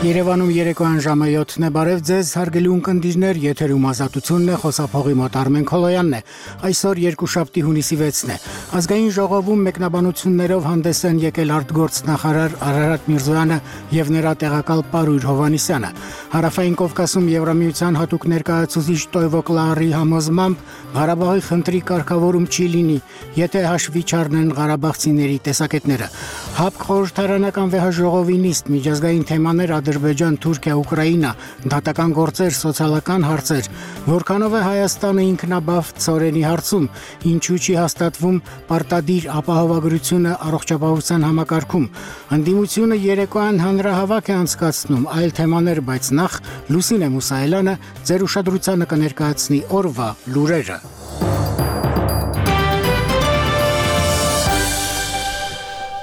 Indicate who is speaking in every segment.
Speaker 1: Երևանում երեկոյան ժամը 7-ն է, բարև ձեզ, հարգելի ունկնդիրներ, եթերում Ազատությունն է, խոսափողի մոտ Արմեն Քոլոյանն է, այսօր երկուշաբթի հունիսի 6-ն է, ազգային ժողովում մեկնաբանություններով հանդես են եկել արտգործնախարար Արարատ Միրզոյանը և նրա տեղակալ Պարույր Հովհաննիսյանը, Հարավային Կովկասում Եվրամիության հատուկ ներկայացուցիչ Տոյվո Կլարի համոզմամբ Ղարաբաղի խնդրի կարգավորում չի լինի, եթե հաշվի չառնեն ղարաբաղցիների տեսակետները, ՀԱՊԿ խորհրդարանական վեհաժողովի նիստ միջազգային թեմաներ Ադրբեջան, Թուրքիա, Ուկրաինա, դատական գործեր, սոցիալական հարցեր, որքանով է Հայաստանը ինքնաբավ ծորենի հարցում, ինչու չի հաստատվում պարտադիր ապահովագրությունը առողջապահության համակարգում, ընդդիմությունը երեկոյան հանրահավաք է անցկացնում, այլ թեմաներ, բայց նախ Լուսինե Մուսայելյանը ձեր ուշադրությանը կներկայացնի օրվա լուրերը։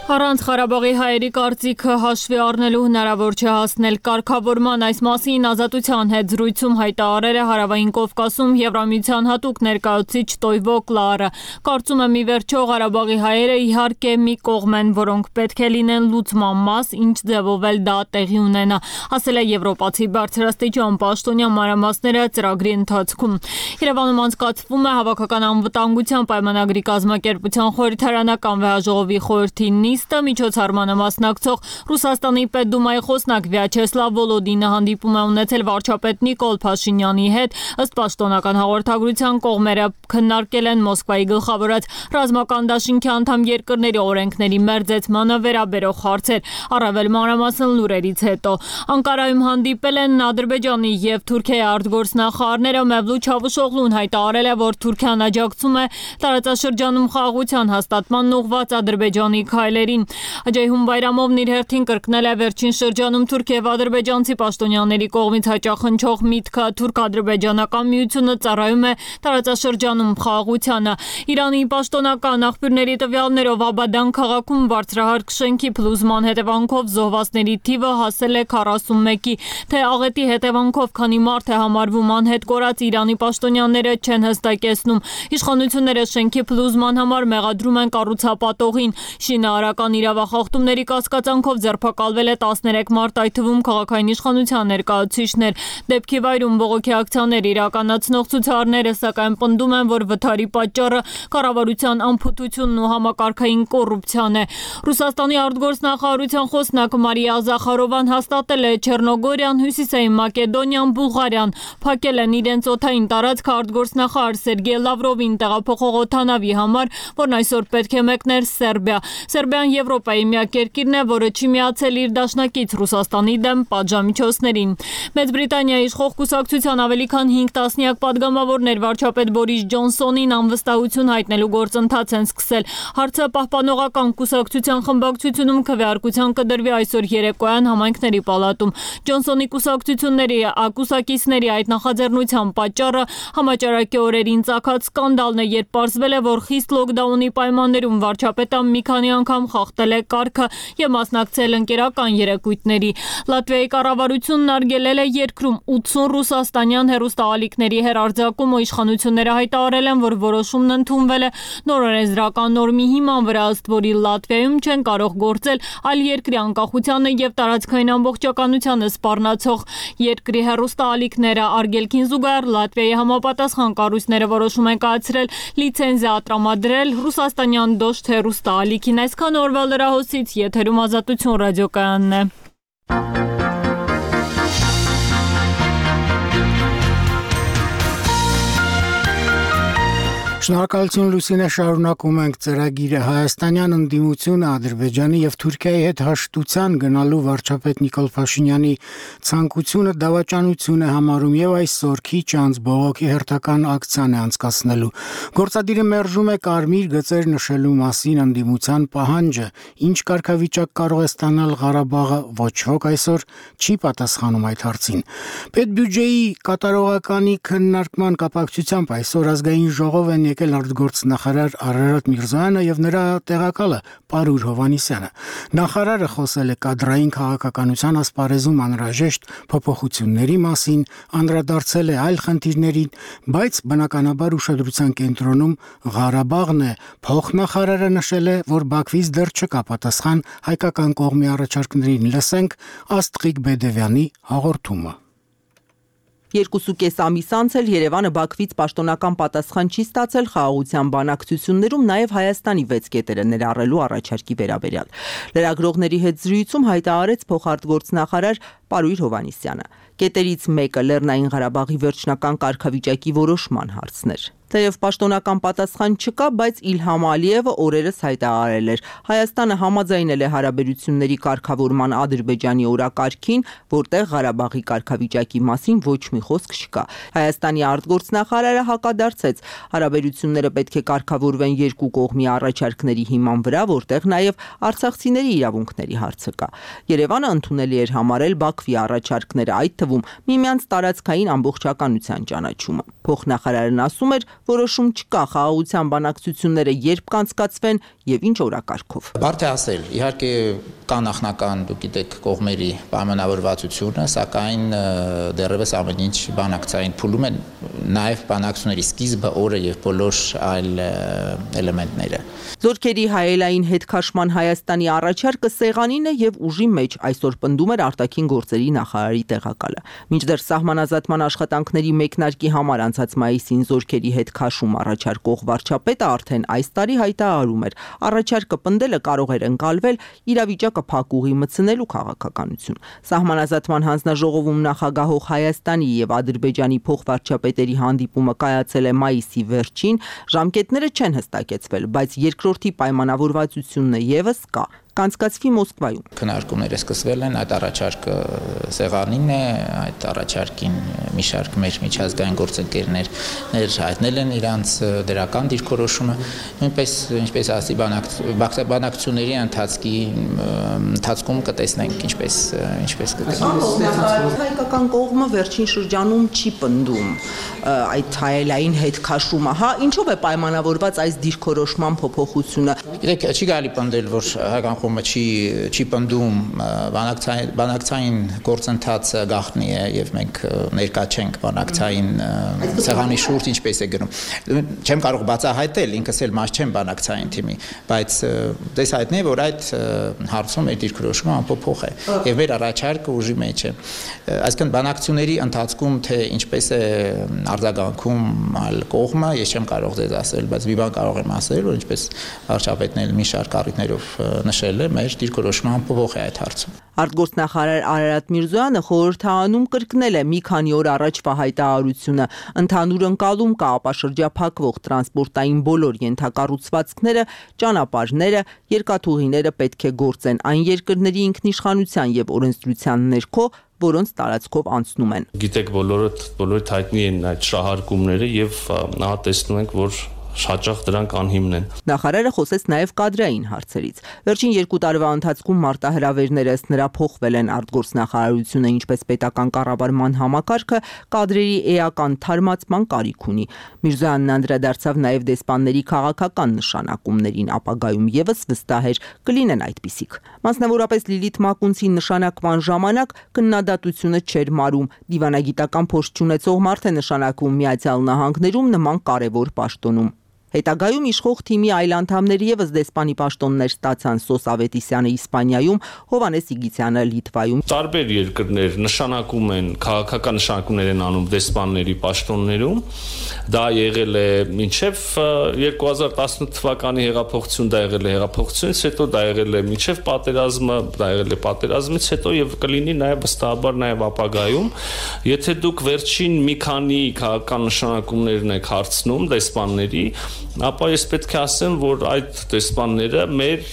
Speaker 2: Առանց Ղարաբաղի հայերի կարծիքը հաշվի առնելու հնարավոր չէ հասնել կարգավորման այս մասին Ազատության հետ զրույցում հայտարարել է Հարավային Կովկասում Եվրամիության հատուկ ներկայացուցիչ Տոյվո Կլարը։ Կարծում եմ ի վերջո Ղարաբաղի հայերը իհարկե մի կողմ են, որոնք պետք է լինեն լուծման մաս, ինչ ձևով էլ դա տեղի ունենա, ասել է եվրոպացի բարձրաստիճան պաշտոնյա մանրամասները ծրագրի ընթացքում։ Երևանում անցկացվում է Հավաքական անվտանգության պայմանագրի կազմակերպության խորհրդարանական վեհաժողովի խորհրդի միջոցառմանը մասնակցող Ռուսաստանի Պետդումայի խոսնակ Վյաչեսլավ Վոլոդինը հանդիպում է ունեցել վարչապետ Նիկոլ Փաշինյանի հետ, ըստ պաշտոնական հաղորդագրության կողմերը քննարկել են Մոսկվայի գլխավորած ռազմական դաշինքի անդամ երկրների օրենքների մերձեցմանը վերաբերող հարցեր, առավել մանրամասն լուրերից հետո։ Անկարայում հանդիպել են Ադրբեջանի և Թուրքիայի արտգործնախարարները, Մևլութ Չավուշօղլուն հայտարարել է, որ Թուրքիան աջակցում է տարածաշրջանում խաղաղության հաստատման ուղղված Ադրբեջանի քայլերին։ Աջայհուն Բայրամովն իր հերթին կրկնել է վերջին շրջանում թուրք և ադրբեջանցի պաշտոնյաների կողմից հաճախնչող միտքը թուրք-ադրբեջանական միությունը ծառայում է տարածաշրջանում խաղաղությանը։ Իրանի պաշտոնական աղբյուրների տվյալներով Աբադան քաղաքում բարձրահարկ շենքի փլուզման հետևանքով զոհվածների թիվը հասել է 41-ի, թե աղետի հետևանքով քանի մարդ է համարվում անհետ կորած Իրանի պաշտոնյաները չեն հստակեցնում։ Իշխանությունները շենքի փլուզման համար մեղադրում են կառուցապատողին։ Շինարարական իրավախախտումների կասկածանքով ձերբակալվել է 13 մարդ, այդ թվում քաղաքային իշխանության ներկայացուցիչներ։ Դեպքի վայրում բողոքի ակցիաներ իրականացնող ցուցարարները սակայն պնդում են, որ վթարի պատճառը կառավարության անփութությունն ու համակարգային կոռուպցիան է։ Ռուսաստանի արտգործնախարարության խոսնակ Մարիա Զախարովան հաստատել է Չեռնոգորիան, Հյուսիսային Մակեդոնիան, Բուլղարիան փակել են իրենց օդային տարածքը արտգործնախարար Սերգեյ Լավրովին տեղափոխող օդանավի համար, որն այսօր պետք է մեկներ Սերբիա։ Սերբիան Եվրոպայի միակ երկիրն է, որը չի միացել իր դաշնակից Ռուսաստանի դեմ պատժամիջոցներին։ Մեծ Բրիտանիայի իշխող կուսակցության ավելի քան 5 տասնյակ պատգամավորներ վարչապետ Բորիս Ջոնսոնին անվստահություն հայտնելու գործընթաց են սկսել։ Հարցը պահպանողական կուսակցության խմբակցությունում քվեարկության կդրվի այսօր երեկոյան համայնքների պալատում։ Ջոնսոնի կուսակցությունների այդ նախաձեռնության պատճառը համաճարակի օրերին ծագած սկանդալն է, երբ պարզվել է, որ խիստ լոկդաունի պայմաններում վարչապետը մի քանի անգամ խախտել է կարգը և մասնակցել ընկերական երեկույթների։ Լատվիայի կառավարությունն արգելել է երկրում 80 ռուսաստանյան հեռուստաալիքների հեռարձակումը, իշխանությունները հայտարարել են, որ որոշումն ընդունվել է նոր օրենսդրական նորմի հիման վրա, ըստ որի Լատվիայում չեն կարող գործել այլ երկրի անկախությանը և տարածքային ամբողջականությանը սպառնացող երկրի հեռուստաալիքները։ Արգելքին զուգահեռ Լատվիայի համապատասխան կառույցները որոշում են կայացրել լիցենզիա տրամադրել ռուսաստանյան դոշտ հեռուստաալիքին։ Այսքան օրվա լրահոսից, եթերում Ազատություն ռադիոկայանն է։
Speaker 1: Շնորհակալություն Լուսինե, շարունակում ենք ծրագիրը։ Հայաստանյան ընդդիմությունը Ադրբեջանի և Թուրքիայի հետ հաշտության գնալու վարչապետ Նիկոլ Փաշինյանի ցանկությունը դավաճանություն է համարում և այսօր քիչ անց բողոքի հերթական ակցիան է անցկացնելու։ Գործադիրը մերժում է կարմիր գծեր նշելու մասին ընդդիմության պահանջը, ինչ կարգավիճակ կարող է ստանալ Ղարաբաղը, ոչ ոք այսօր չի պատասխանում այդ հարցին։ Պետբյուջեի կատարողականի քննարկման կապակցությամբ այսօր ազգային ժողով են եկել արտգործնախարար Արարատ Միրզոյանը եւ նրա տեղակալը Պարուր Հովհաննիսյանը։ Նախարարը խոսել է կադրային քաղաքականության ասպարեզում անհրաժեշտ փոփոխությունների մասին, անդրադարձել է այլ խնդիրներին, բայց բնականաբար ուշադրության կենտրոնում Ղարաբաղն է։ Փոխնախարարը նշել է, որ Բաքվից դեռ չկա պատասխան հայկական կողմի առաջարկներին։ Լսենք Աստղիկ Բեդևյանի հաղորդումը։
Speaker 3: 2.5 ամիս անց էլ Երևանը Բաքվից պաշտոնական պատասխան չի ստացել խաղաղության բանակցություններում, նաև Հայաստանի 6 կետերը ներառելու առաջարկի վերաբերյալ։ Լրագրողների հետ զրույցում հայտարարեց փոխարտգործնախարար Պարուր Հովհաննիսյանը։ Կետերից մեկը Լեռնային Ղարաբաղի վերջնական կարգավիճակի որոշման հարցն էր։ Թեև պաշտոնական պատասխան չկա, բայց Իլհամ Ալիևը օրերս հայտարարել էր. Հայաստանը համաձայնել է հարաբերությունների կարգավորման Ադրբեջանի օրակարգին, որտեղ Ղարաբաղի կարգավիճակի մասին ոչ մի խոսք չկա։ Հայաստանի արտգործնախարարը հակադարձեց. հարաբերությունները պետք է կարգավորվեն երկու կողմի առաջարկների հիման վրա, որտեղ նաև արցախցիների իրավունքների հարցը կա։ Երևանը ընդունելի էր համարել Բաքվի առաջարկները, այդ թվում միմյանց տարածքային ամբողջականության ճանաչումը։ Փոխնախարարն ասում էր, որոշում չկա խաղաղության բանակցությունները երբ կանցկացվեն եւ ինչ օրակարգով։
Speaker 4: Բարդ է ասել, իհարկե կա նախնական, դուք գիտեք, կողմերի պայմանավորվածությունը, սակայն դեռևս ամեն ինչ բանակցային փուլում են, նաև բանակցությունների սկիզբը, օրը եւ բոլոր այլ էլեմենտները։
Speaker 3: Զորքերի հայելային հետքաշման Հայաստանի առաջարկը սեղանին է եւ ուժի մեջ, այսօր պնդում էր արտաքին գործերի նախարարի տեղակալը։ Մինչդեռ սահմանազատման աշխատանքների մեկնարկի համար անցած մայիսին զորքերի հետքաշում առաջարկող վարչապետը արդեն այս տարի հայտարարում էր, առաջարկը պնդելը կարող էր ընկալվել իրավիճակը փակուղի մտցնելու քաղաքականություն։ Սահմանազատման հանձնաժողովում նախագահող Հայաստանի եւ Ադրբեջանի փոխվարչապետերի հանդիպումը կայացել է մայիսի վերջին, ժամկետները չեն հստակեցվել, բայց երկրորդի պայմանավորվածությունը եւս կա։ Կանցկացվի Մոսկվայում։
Speaker 4: Քննարկումները սկսվել են, այդ առաջարկը սեղանին է, այդ առաջարկին մի շարք մեր միջազգային գործընկերներ հայտնել են իրանց դրական դիրքորոշումը, նույնպես ինչպես ասի բանակցությունների ընթացքում կտեսնենք ինչպես կգնա։
Speaker 3: Հայկական կողմը վերջին շրջանում չի պնդում այդ հայելային հետքաշումը, հա, ինչով է պայմանավորված այս դիրքորոշման փոփոխությունը։
Speaker 4: Գիտեք, չի կարելի պնդել, որ հայկական կողմը չի պնդում, բանակցային գործընթացը գաղտնի է եւ մենք ներկա չենք բանակցային սեղանի շուրջ ինչպես է գնում։ Չեմ կարող բացահայտել, ինքս էլ մաս չեմ բանակցային թիմի, բայց դες հայտնի է, որ այդ հարցում մեր դիրքորոշումը անփոփոխ է եւ մեր առաջարկը ուժի մեջ է։ Այսինքն բանակցությունների ընթացքում թե ինչպես է արձագանքում այլ կողմը, ես չեմ կարող ձեզ ասել, բայց մի բան կարող եմ ասել, որ ինչպես վարչապետն էլ մի շարք առիթներով նշել է, մեր դիրքորոշումը անփոփոխ է այդ հարցում։
Speaker 3: Արտգործնախարար Արարատ Միրզոյանը խորհրդարանում կրկնել է մի քանի օր առաջվա հայտարարությունը. ընդհանուր ընկալում կա ապաշրջափակվող տրանսպորտային բոլոր ենթակառուցվածքները, ճանապարհները, երկաթուղիները պետք է գործեն այն երկրների ինքնիշխանության եւ օրենսդրության ներքո, որոնց տարածքով անցնում են։
Speaker 5: Գիտեք, բոլորիդ հայտնի են այդ շահարկումները եւ ահա տեսնում ենք, որ հաճախ դրանք անհիմն են։
Speaker 3: Նախարարը խոսեց նաև կադրային հարցերից։ Վերջին 2 տարվա ընթացքում մարտահրավերները ըստ նրա փոխվել են, արտգործնախարարությունը ինչպես պետական կառավարման համակարգը կադրերի էական թարմացման կարիք ունի։ Միրզոյանն անդրադարձավ նաև դեսպանների քաղաքական նշանակումներին, ապագայում եւս վստահ էր կլինեն այդպիսիք։ Մասնավորապես Լիլիթ Մակունցի նշանակման ժամանակ քննադատությունը չէր մարում։ Դիվանագիտական փորձ չունեցող մարդ է նշանակվում Միացյալ Նահանգներում նման կարևոր պաշտոնում։ Հետագայում իշխող թիմի այլ անդամներ եւս դեսպանի պաշտոններ ստացան, Սոս Ավետիսյանը Իսպանիայում, Հովհաննես Իգիթյանը Լիտվայում։
Speaker 5: Տարբեր երկրներ նշանակում են, քաղաքական նշանակումներ են անում դեսպանների պաշտոններում։ Դա եղել է մինչև 2018 թվականի հեղափոխություն, դա եղել է հեղափոխությունից հետո, դա եղել է մինչև պատերազմը, դա եղել է պատերազմից հետո եւ կլինի նաեւ վստահաբար նաեւ ապագայում։ Եթե դուք վերջին մի քանի քաղաքական նշանակումներն եք հարցնում դեսպանների, ապա ես պետք է ասեմ, որ այդ դեսպանները մեր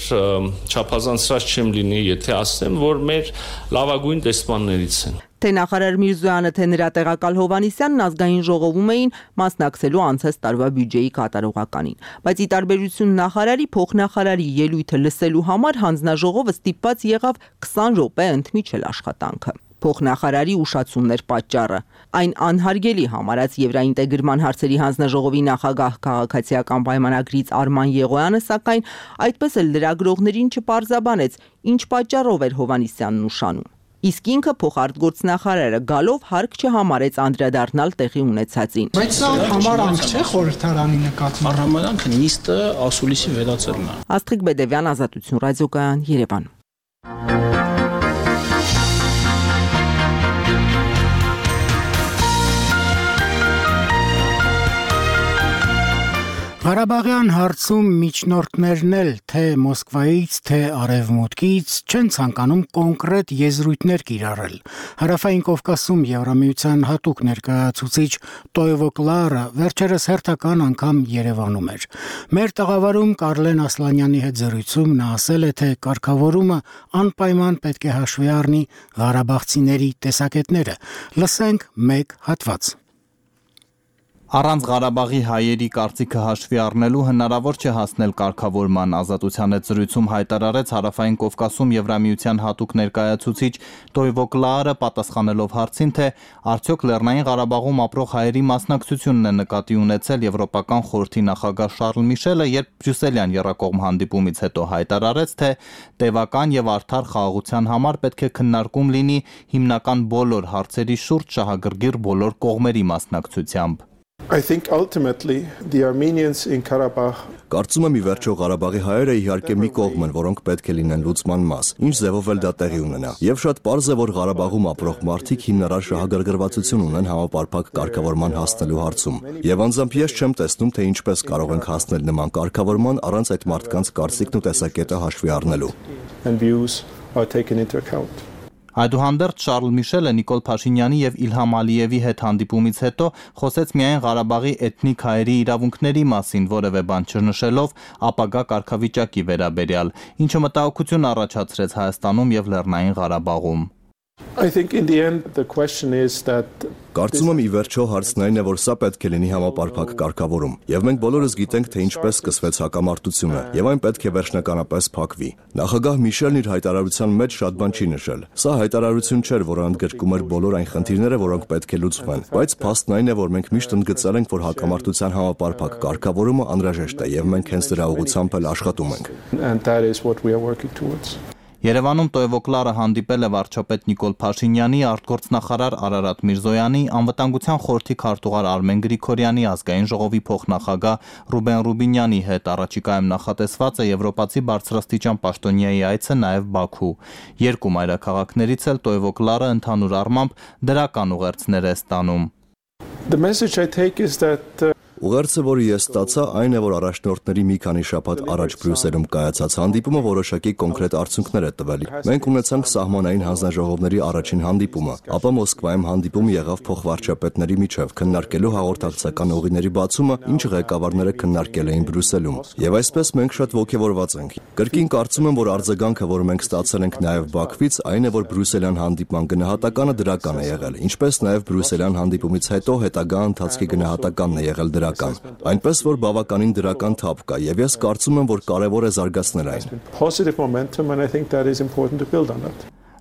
Speaker 5: չափազանցրած չեմ լինի, եթե ասեմ, որ մեր լավագույն դեսպաններից են։
Speaker 3: Թե նախարար Միրզոյանը, թե նրա տեղակալ Հովհաննիսյանն ազգային ժողովում էին մասնակցելու անցած տարվա բյուջեի կատարողականին, բայց ի տարբերություն նախարարի, փոխնախարարի ելույթը լսելու համար հանձնաժողովը ստիպված եղավ 20 րոպե ընդմիջել աշխատանքը։ Փոխնախարարի ուշացումներ պատճառը։ Այն անհարգելի համարած Եվրաինտեգրման հարցերի հանձնաժողովի նախագահ քաղաքացիական պայմանագրից Արման Եղոյանը, սակայն այդպես էլ լրագրողներին չպարզաբանեց, ինչ պատճառով էր Հովհաննիսյանն ուշանում։ Իսկ ինքը փոխարտգործնախարարը գալով հարկ չհամարեց անդրադառնալ տեղի ունեցածին։
Speaker 1: Բայց սա համարանք չէ խորհրդարանի նկատմամբ։
Speaker 6: Համարանքը նիստը ասուլիսի վերածելն է։
Speaker 3: Աստղիկ Բեդևյան, Ազատություն ռադիոկայան, Երևան։
Speaker 1: Ղարաբաղյան հարցում միջնորդներն էլ թե Մոսկվայից, թե Արևմուտքից չեն ցանկանում կոնկրետ եզրույթներ կիրառել։ Հարավային Կովկասում Եվրամիության հատուկ ներկայացուցիչ Տոյվո Կլարը վերջերս հերթական անգամ Երևանում էր։ Մեր տաղավարում Կարլեն Ասլանյանի հետ զրույցում նա ասել է, թե կարգավորումը անպայման պետք է հաշվի առնի ղարաբաղցիների տեսակետները։ Լսենք մեկ հատված։
Speaker 7: Առանց Ղարաբաղի հայերի կարծիքը հաշվի առնելու հնարավոր չէ հասնել կարգավորման, Ազատության հետ զրույցում հայտարարեց Հարավային Կովկասում Եվրամիության հատուկ ներկայացուցիչ Տոյվո Կլարը, պատասխանելով հարցին, թե արդյոք Լեռնային Ղարաբաղում ապրող հայերի մասնակցությունն է նկատի ունեցել Եվրոպական խորհրդի նախագահ Շարլ Միշելը, երբ բրյուսելյան եռակողմ հանդիպումից հետո հայտարարեց, թե տևական եւ արդար խաղաղության համար պետք է քննարկում լինի հիմնական բոլոր հարցերի շուրջ շահագրգիռ բոլոր կողմերի մասնակցությամբ։
Speaker 8: I think ultimately the Armenians in Karabakh
Speaker 9: Կարծում եմ ի վերջո Ղարաբաղի հայերը իհարկե մի կողմ են, որոնք պետք է լինեն լուծման մաս, ինչ ձևով էլ դա տեղի ունենա։ Եվ շատ պարզ է, որ Ղարաբաղում ապրող մարդիկ հիմնարար շահագրգռվածություն ունեն համապարփակ կարգավորման հասնելու հարցում։ Եվ անձամբ ես չեմ տեսնում, թե ինչպես կարող ենք հասնել նման կարգավորման առանց այդ մարդկանց կարծիքն ու տեսակետը հաշվի առնելու։
Speaker 7: Այդուհանդերձ Շարլ Միշելը Նիկոլ Փաշինյանի եւ Իլհամ Ալիևի հետ հանդիպումից հետո խոսեց միայն Ղարաբաղի էթնիկ հայերի իրավունքների մասին, որևէ բան չնշելով ապագա կարգավիճակի վերաբերյալ, ինչը մտահոգություն առաջացրեց Հայաստանում եւ Լեռնային Ղարաբաղում։
Speaker 8: I think in the end the question is that
Speaker 9: Կարծում եմ ի վերջո հարցն այն է, որ սա պետք է լինի համապարփակ կարգավորում, եւ մենք բոլորս գիտենք, թե ինչպես սկսվեց հակամարտությունը, եւ այն պետք է վերջնականապես փակվի։ Նախագահ Միշելն իր հայտարարության մեջ շատ բան չի նշել։ Սա հայտարարություն չէր, որը ընդգրկում էր բոլոր այն խնդիրները, որոնք պետք է լուծվեն, բայց փաստն այն է, որ մենք միշտ ընդգծել ենք, որ հակամարտության համապարփակ կարգավորումը անհրաժեշտ է, եւ մենք հենց դրա ուղղությամբ էլ աշխատում ենք։
Speaker 7: Երևանում Տոյվո Կլարը հանդիպել է վարչապետ Նիկոլ Փաշինյանի, արտգործնախարար Արարատ Միրզոյանի, անվտանգության խորհրդի քարտուղար Արմեն Գրիգորյանի, ազգային ժողովի փոխնախագահ Ռուբեն Ռուբինյանի հետ։ Առաջիկայում նախատեսված է եվրոպացի բարձրաստիճան պաշտոնյայի այցը նաև Բաքու։ Երկու մայրաքաղաքներից էլ Տոյվո Կլարը ընդհանուր առմամբ դրական ուղերձներ է ստանում։
Speaker 9: Ուղերձը, որը ես ստացա, այն է, որ առաջնորդների մի քանի շաբաթ առաջ Բրյուսելում կայացած հանդիպումը որոշակի կոնկրետ արդյունքներ է տվել։ Մենք ունեցանք սահմանային հանձնաժողովների առաջին հանդիպումը, ապա Մոսկվայում հանդիպում եղավ փոխվարչապետների միջև քննարկելու հաղորդակցական ուղիների բացումը, ինչը ղեկավարները քննարկել էին Բրյուսելում։ Եվ այսպես մենք շատ ողջավորված ենք։ Կրկին կարծում եմ, որ արձագանքը, որը մենք ստացել ենք նաև Բաքվից, այն է, որ բրյուսելյան հանդիպման գնահատականը դրական է եղել, ինչպես նաև բրյուսելյան հանդիպումից հետո հետագա ընթացքի գնահատականն է եղել դրական։ Այնպես որ բավականին դրական թափ կա, եւ ես կարծում եմ, որ կարեւոր է զարգացնել այն։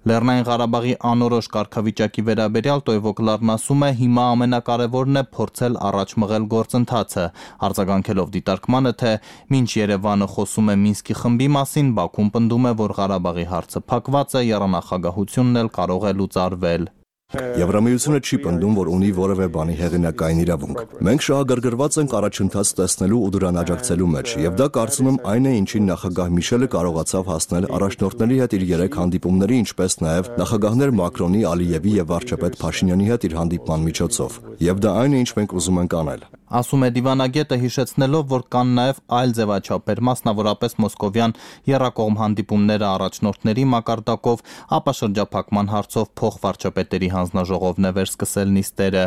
Speaker 7: Լեռնային Ղարաբաղի անորոշ կարգավիճակի վերաբերյալ Տոյվո Կլարն ասում է, հիմա ամենակարևորն է փորձել առաջ մղել գործընթացը, արձագանքելով դիտարկմանը, թե մինչ Երևանը խոսում է Մինսկի խմբի մասին, Բաքուն պնդում է, որ Ղարաբաղի հարցը փակված է, եռանախագահությունն էլ կարող է լուծարվել։
Speaker 9: Եվրամիությունը չի պնդում, որ ունի որևէ բանի հեղինակային իրավունք։ Մենք շահագրգռված ենք առաջընթաց տեսնելու ու դրան աջակցելու մեջ, եւ դա կարծում եմ այն է, ինչին նախագահ Միշելը կարողացավ հասնել առաջնորդների հետ իր 3 հանդիպումների, ինչպես նաեւ նախագահներ Մակրոնի, Ալիևի եւ վարչապետ Փաշինյանի հետ իր հանդիպման միջոցով։ Եվ դա այն է, ինչ մենք ուզում ենք անել։
Speaker 7: Ասում է դիվանագետը, հիշեցնելով, որ կան նաև այլ ձևաչափեր, մասնավորապես մոսկովյան եռակողմ հանդիպումները առաջնորդների մակարդակով, ապա շրջափակման հարցով փոխվարչապետերի հանձնաժողովն է վերսկսել նիստերը։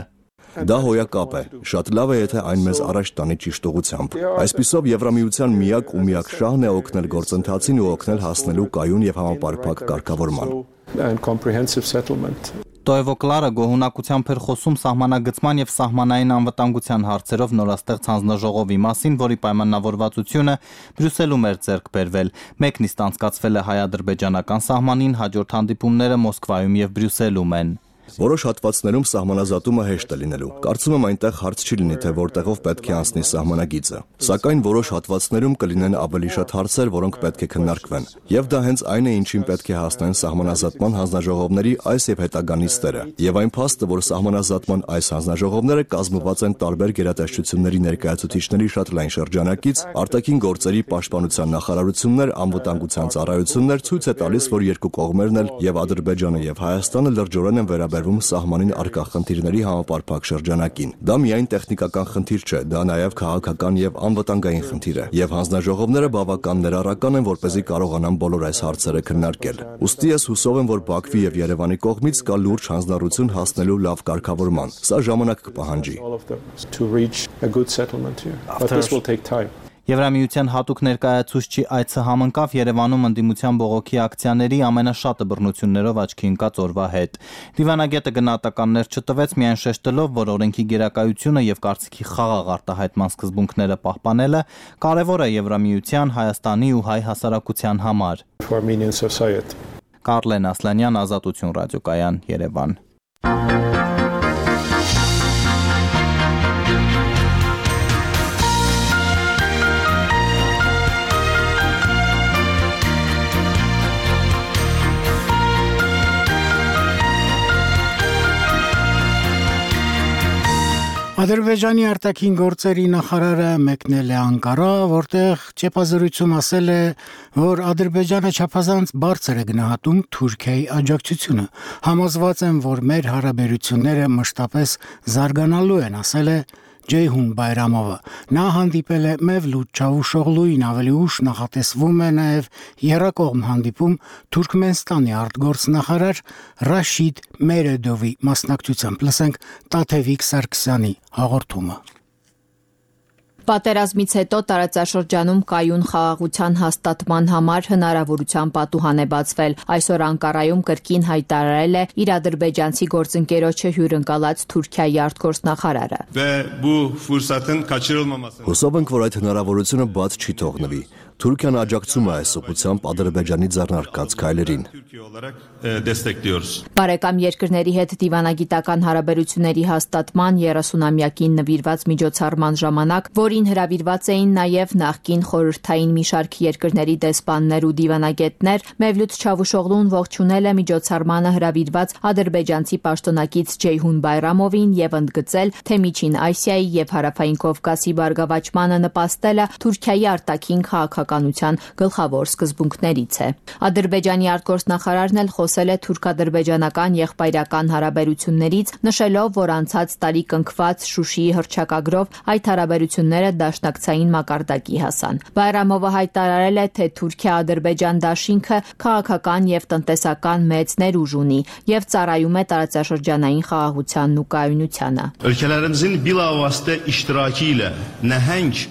Speaker 9: Դա հոյակապ է։ Շատ լավ է, եթե այն մեզ առաջ տանի ճիշտ ուղղությամբ։ Այսպիսով Եվրամիության միակ ու միակ շահն է օգնել գործընթացին ու օգնել հասնելու կայուն եւ համապարփակ կարգավորման։
Speaker 7: Տոևոկլարը գոհունակությամբ էր խոսում սահմանագծման եւ սահմանային անվտանգության հարցերով նորաստեղծ հանձնաժողովի մասին, որի պայմանավորվածությունը Բրյուսելում էր ձեռք բերվել։ Մեկ նիստ անցկացվել է հայ-ադրբեջանական սահմանին, հաջորդ հանդիպումները Մոսկվայում եւ Բրյուսելում են։
Speaker 9: Որոշ հատվածներում սահմանազատումը հեշտ է լինելու։ Կարծում եմ այնտեղ հարց չի լինի, թե որտեղով պետք է անցնի սահմանագիծը։ Սակայն որոշ հատվածներում կլինեն ավելի շատ հարցեր, որոնք պետք է քննարկվեն։ Եվ դա հենց այն է, ինչին պետք է հասնեն սահմանազատման հանձնաժողովների այս եւ հետագա նիստերը։ Եվ այն փաստը, որ սահմանազատման այս հանձնաժողովները կազմված են տարբեր գերատեսչությունների ներկայացուցիչների շատ լայն շրջանակից, արտաքին գործերի պաշտպանության նախարարություններ, անվտանգության ծառայություններ, ցույց է տալիս, որ երկու կողմերն էլ եւ Ադրբեջանը եւ Հայաստանը լրջորեն են վերաբերվում սահմանին առկա խնդիրների համապարփակ շրջանակին։ Դա միայն տեխնիկական խնդիր չէ, դա նաև քաղաքական եւ անվտանգային խնդիր է, եւ հանձնաժողովները բավական ներառական են, որպեսզի կարողանան բոլոր այս հարցերը քննարկել։ Ուստի ես հուսով եմ, որ Բաքվի եւ Երևանի կողմից կա լուրջ հանձնառություն հասնելու լավ կարգավորման։ Սա ժամանակ կպահանջի։
Speaker 7: Եվրամիության հատուկ ներկայացուցչի այցը համընկավ Երևանում ընդդիմության բողոքի ակցիաների ամենաշատը բռնություններով աչքի ընկած օրվա հետ։ Դիվանագետը գնահատականներ չտվեց, միայն շեշտելով, որ օրենքի գերակայությունը եւ կարծիքի խաղաղ արտահայտման սկզբունքները պահպանելը կարեւոր է Եվրամիության, Հայաստանի ու հայ հասարակության համար։ Կարլեն Ասլանյան, Ազատություն ռադիոկայան, Երևան։
Speaker 1: Ադրբեջանի արտաքին գործերի նախարարը մեկնել է Անկարա, որտեղ ճեպազրույցում ասել է, որ Ադրբեջանը չափազանց բարձր է գնահատում Թուրքիայի աջակցությունը։ Համոզված եմ, որ մեր հարաբերությունները մշտապես զարգանալու են, ասել է Ջեյհուն Բայրամովը։ Նա հանդիպել է Մևլութ Չավուշօղլուին, ավելի ուշ նախատեսվում է նաև եռակողմ հանդիպում Թուրքմենստանի արտգործնախարար Ռաշիդ Մերեդովի մասնակցությամբ։ Լսենք Տաթևիկ Սարգսյանի հաղորդումը։
Speaker 10: Պատերազմից հետո տարածաշրջանում կայուն խաղաղության հաստատման համար հնարավորության պատուհան է բացվել։ Այսօր Անկարայում կրկին հայտարարել է իր ադրբեջանցի գործընկերոջը հյուրընկալած Թուրքիայի արտգործնախարարը։
Speaker 9: Հուսով ենք, որ այդ հնարավորությունը բաց չի թողնվի։ Թուրքիան աջակցում է այս ուղղությամբ Ադրբեջանի ձեռնարկած քայլերին։
Speaker 10: Բարեկամ երկրների հետ դիվանագիտական հարաբերությունների հաստատման 30-ամյակին նվիրված միջոցառման ժամանակ, որին հրավիրված էին նաև նախկին խորհրդային մի շարք երկրների դեսպաններ ու դիվանագետներ, Մևլութ Չավուշօղլուն ողջունել է միջոցառմանը հրավիրված ադրբեջանցի պաշտոնակից Ջեյհուն Բայրամովին եւ ընդգծել, թե Միջին Ասիայի եւ Հարավային Կովկասի բարգավաճմանը նպաստելը Թուրքիայի արտաքին քաղաքականության գլխավոր սկզբունքներից է։ Ադրբեջանի արտգործնախարարն էլ խոսել է թուրք-ադրբեջանական եղբայրական հարաբերություններից, նշելով, որ անցած տարի կնքված Շուշիի հռչակագրով այդ հարաբերությունները դաշնակցային մակարդակի հասան։ Բայրամովը հայտարարել է, թե Թուրքիա-Ադրբեջան դաշինքը քաղաքական եւ տնտեսական մեծ ներուժ ունի եւ ծառայում է տարածաշրջանային խաղաղությանն ու կայունությանը։
Speaker 11: Ölkələrimizin bilavasitə iştirakı ilə nəhəng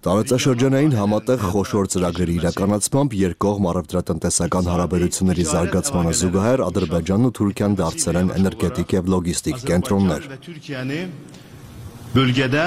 Speaker 9: Տարածաշրջանային համատեղ խոշոր ծրագրերի իրականացմամբ երկկողմ առևտրատնտեսական հարաբերությունների զարգացմանը զուգահեռ Ադրբեջանն ու Թուրքիան դարձել են էներգետիկ եւ լոգիստիկ կենտրոններ։
Speaker 11: Bölgədə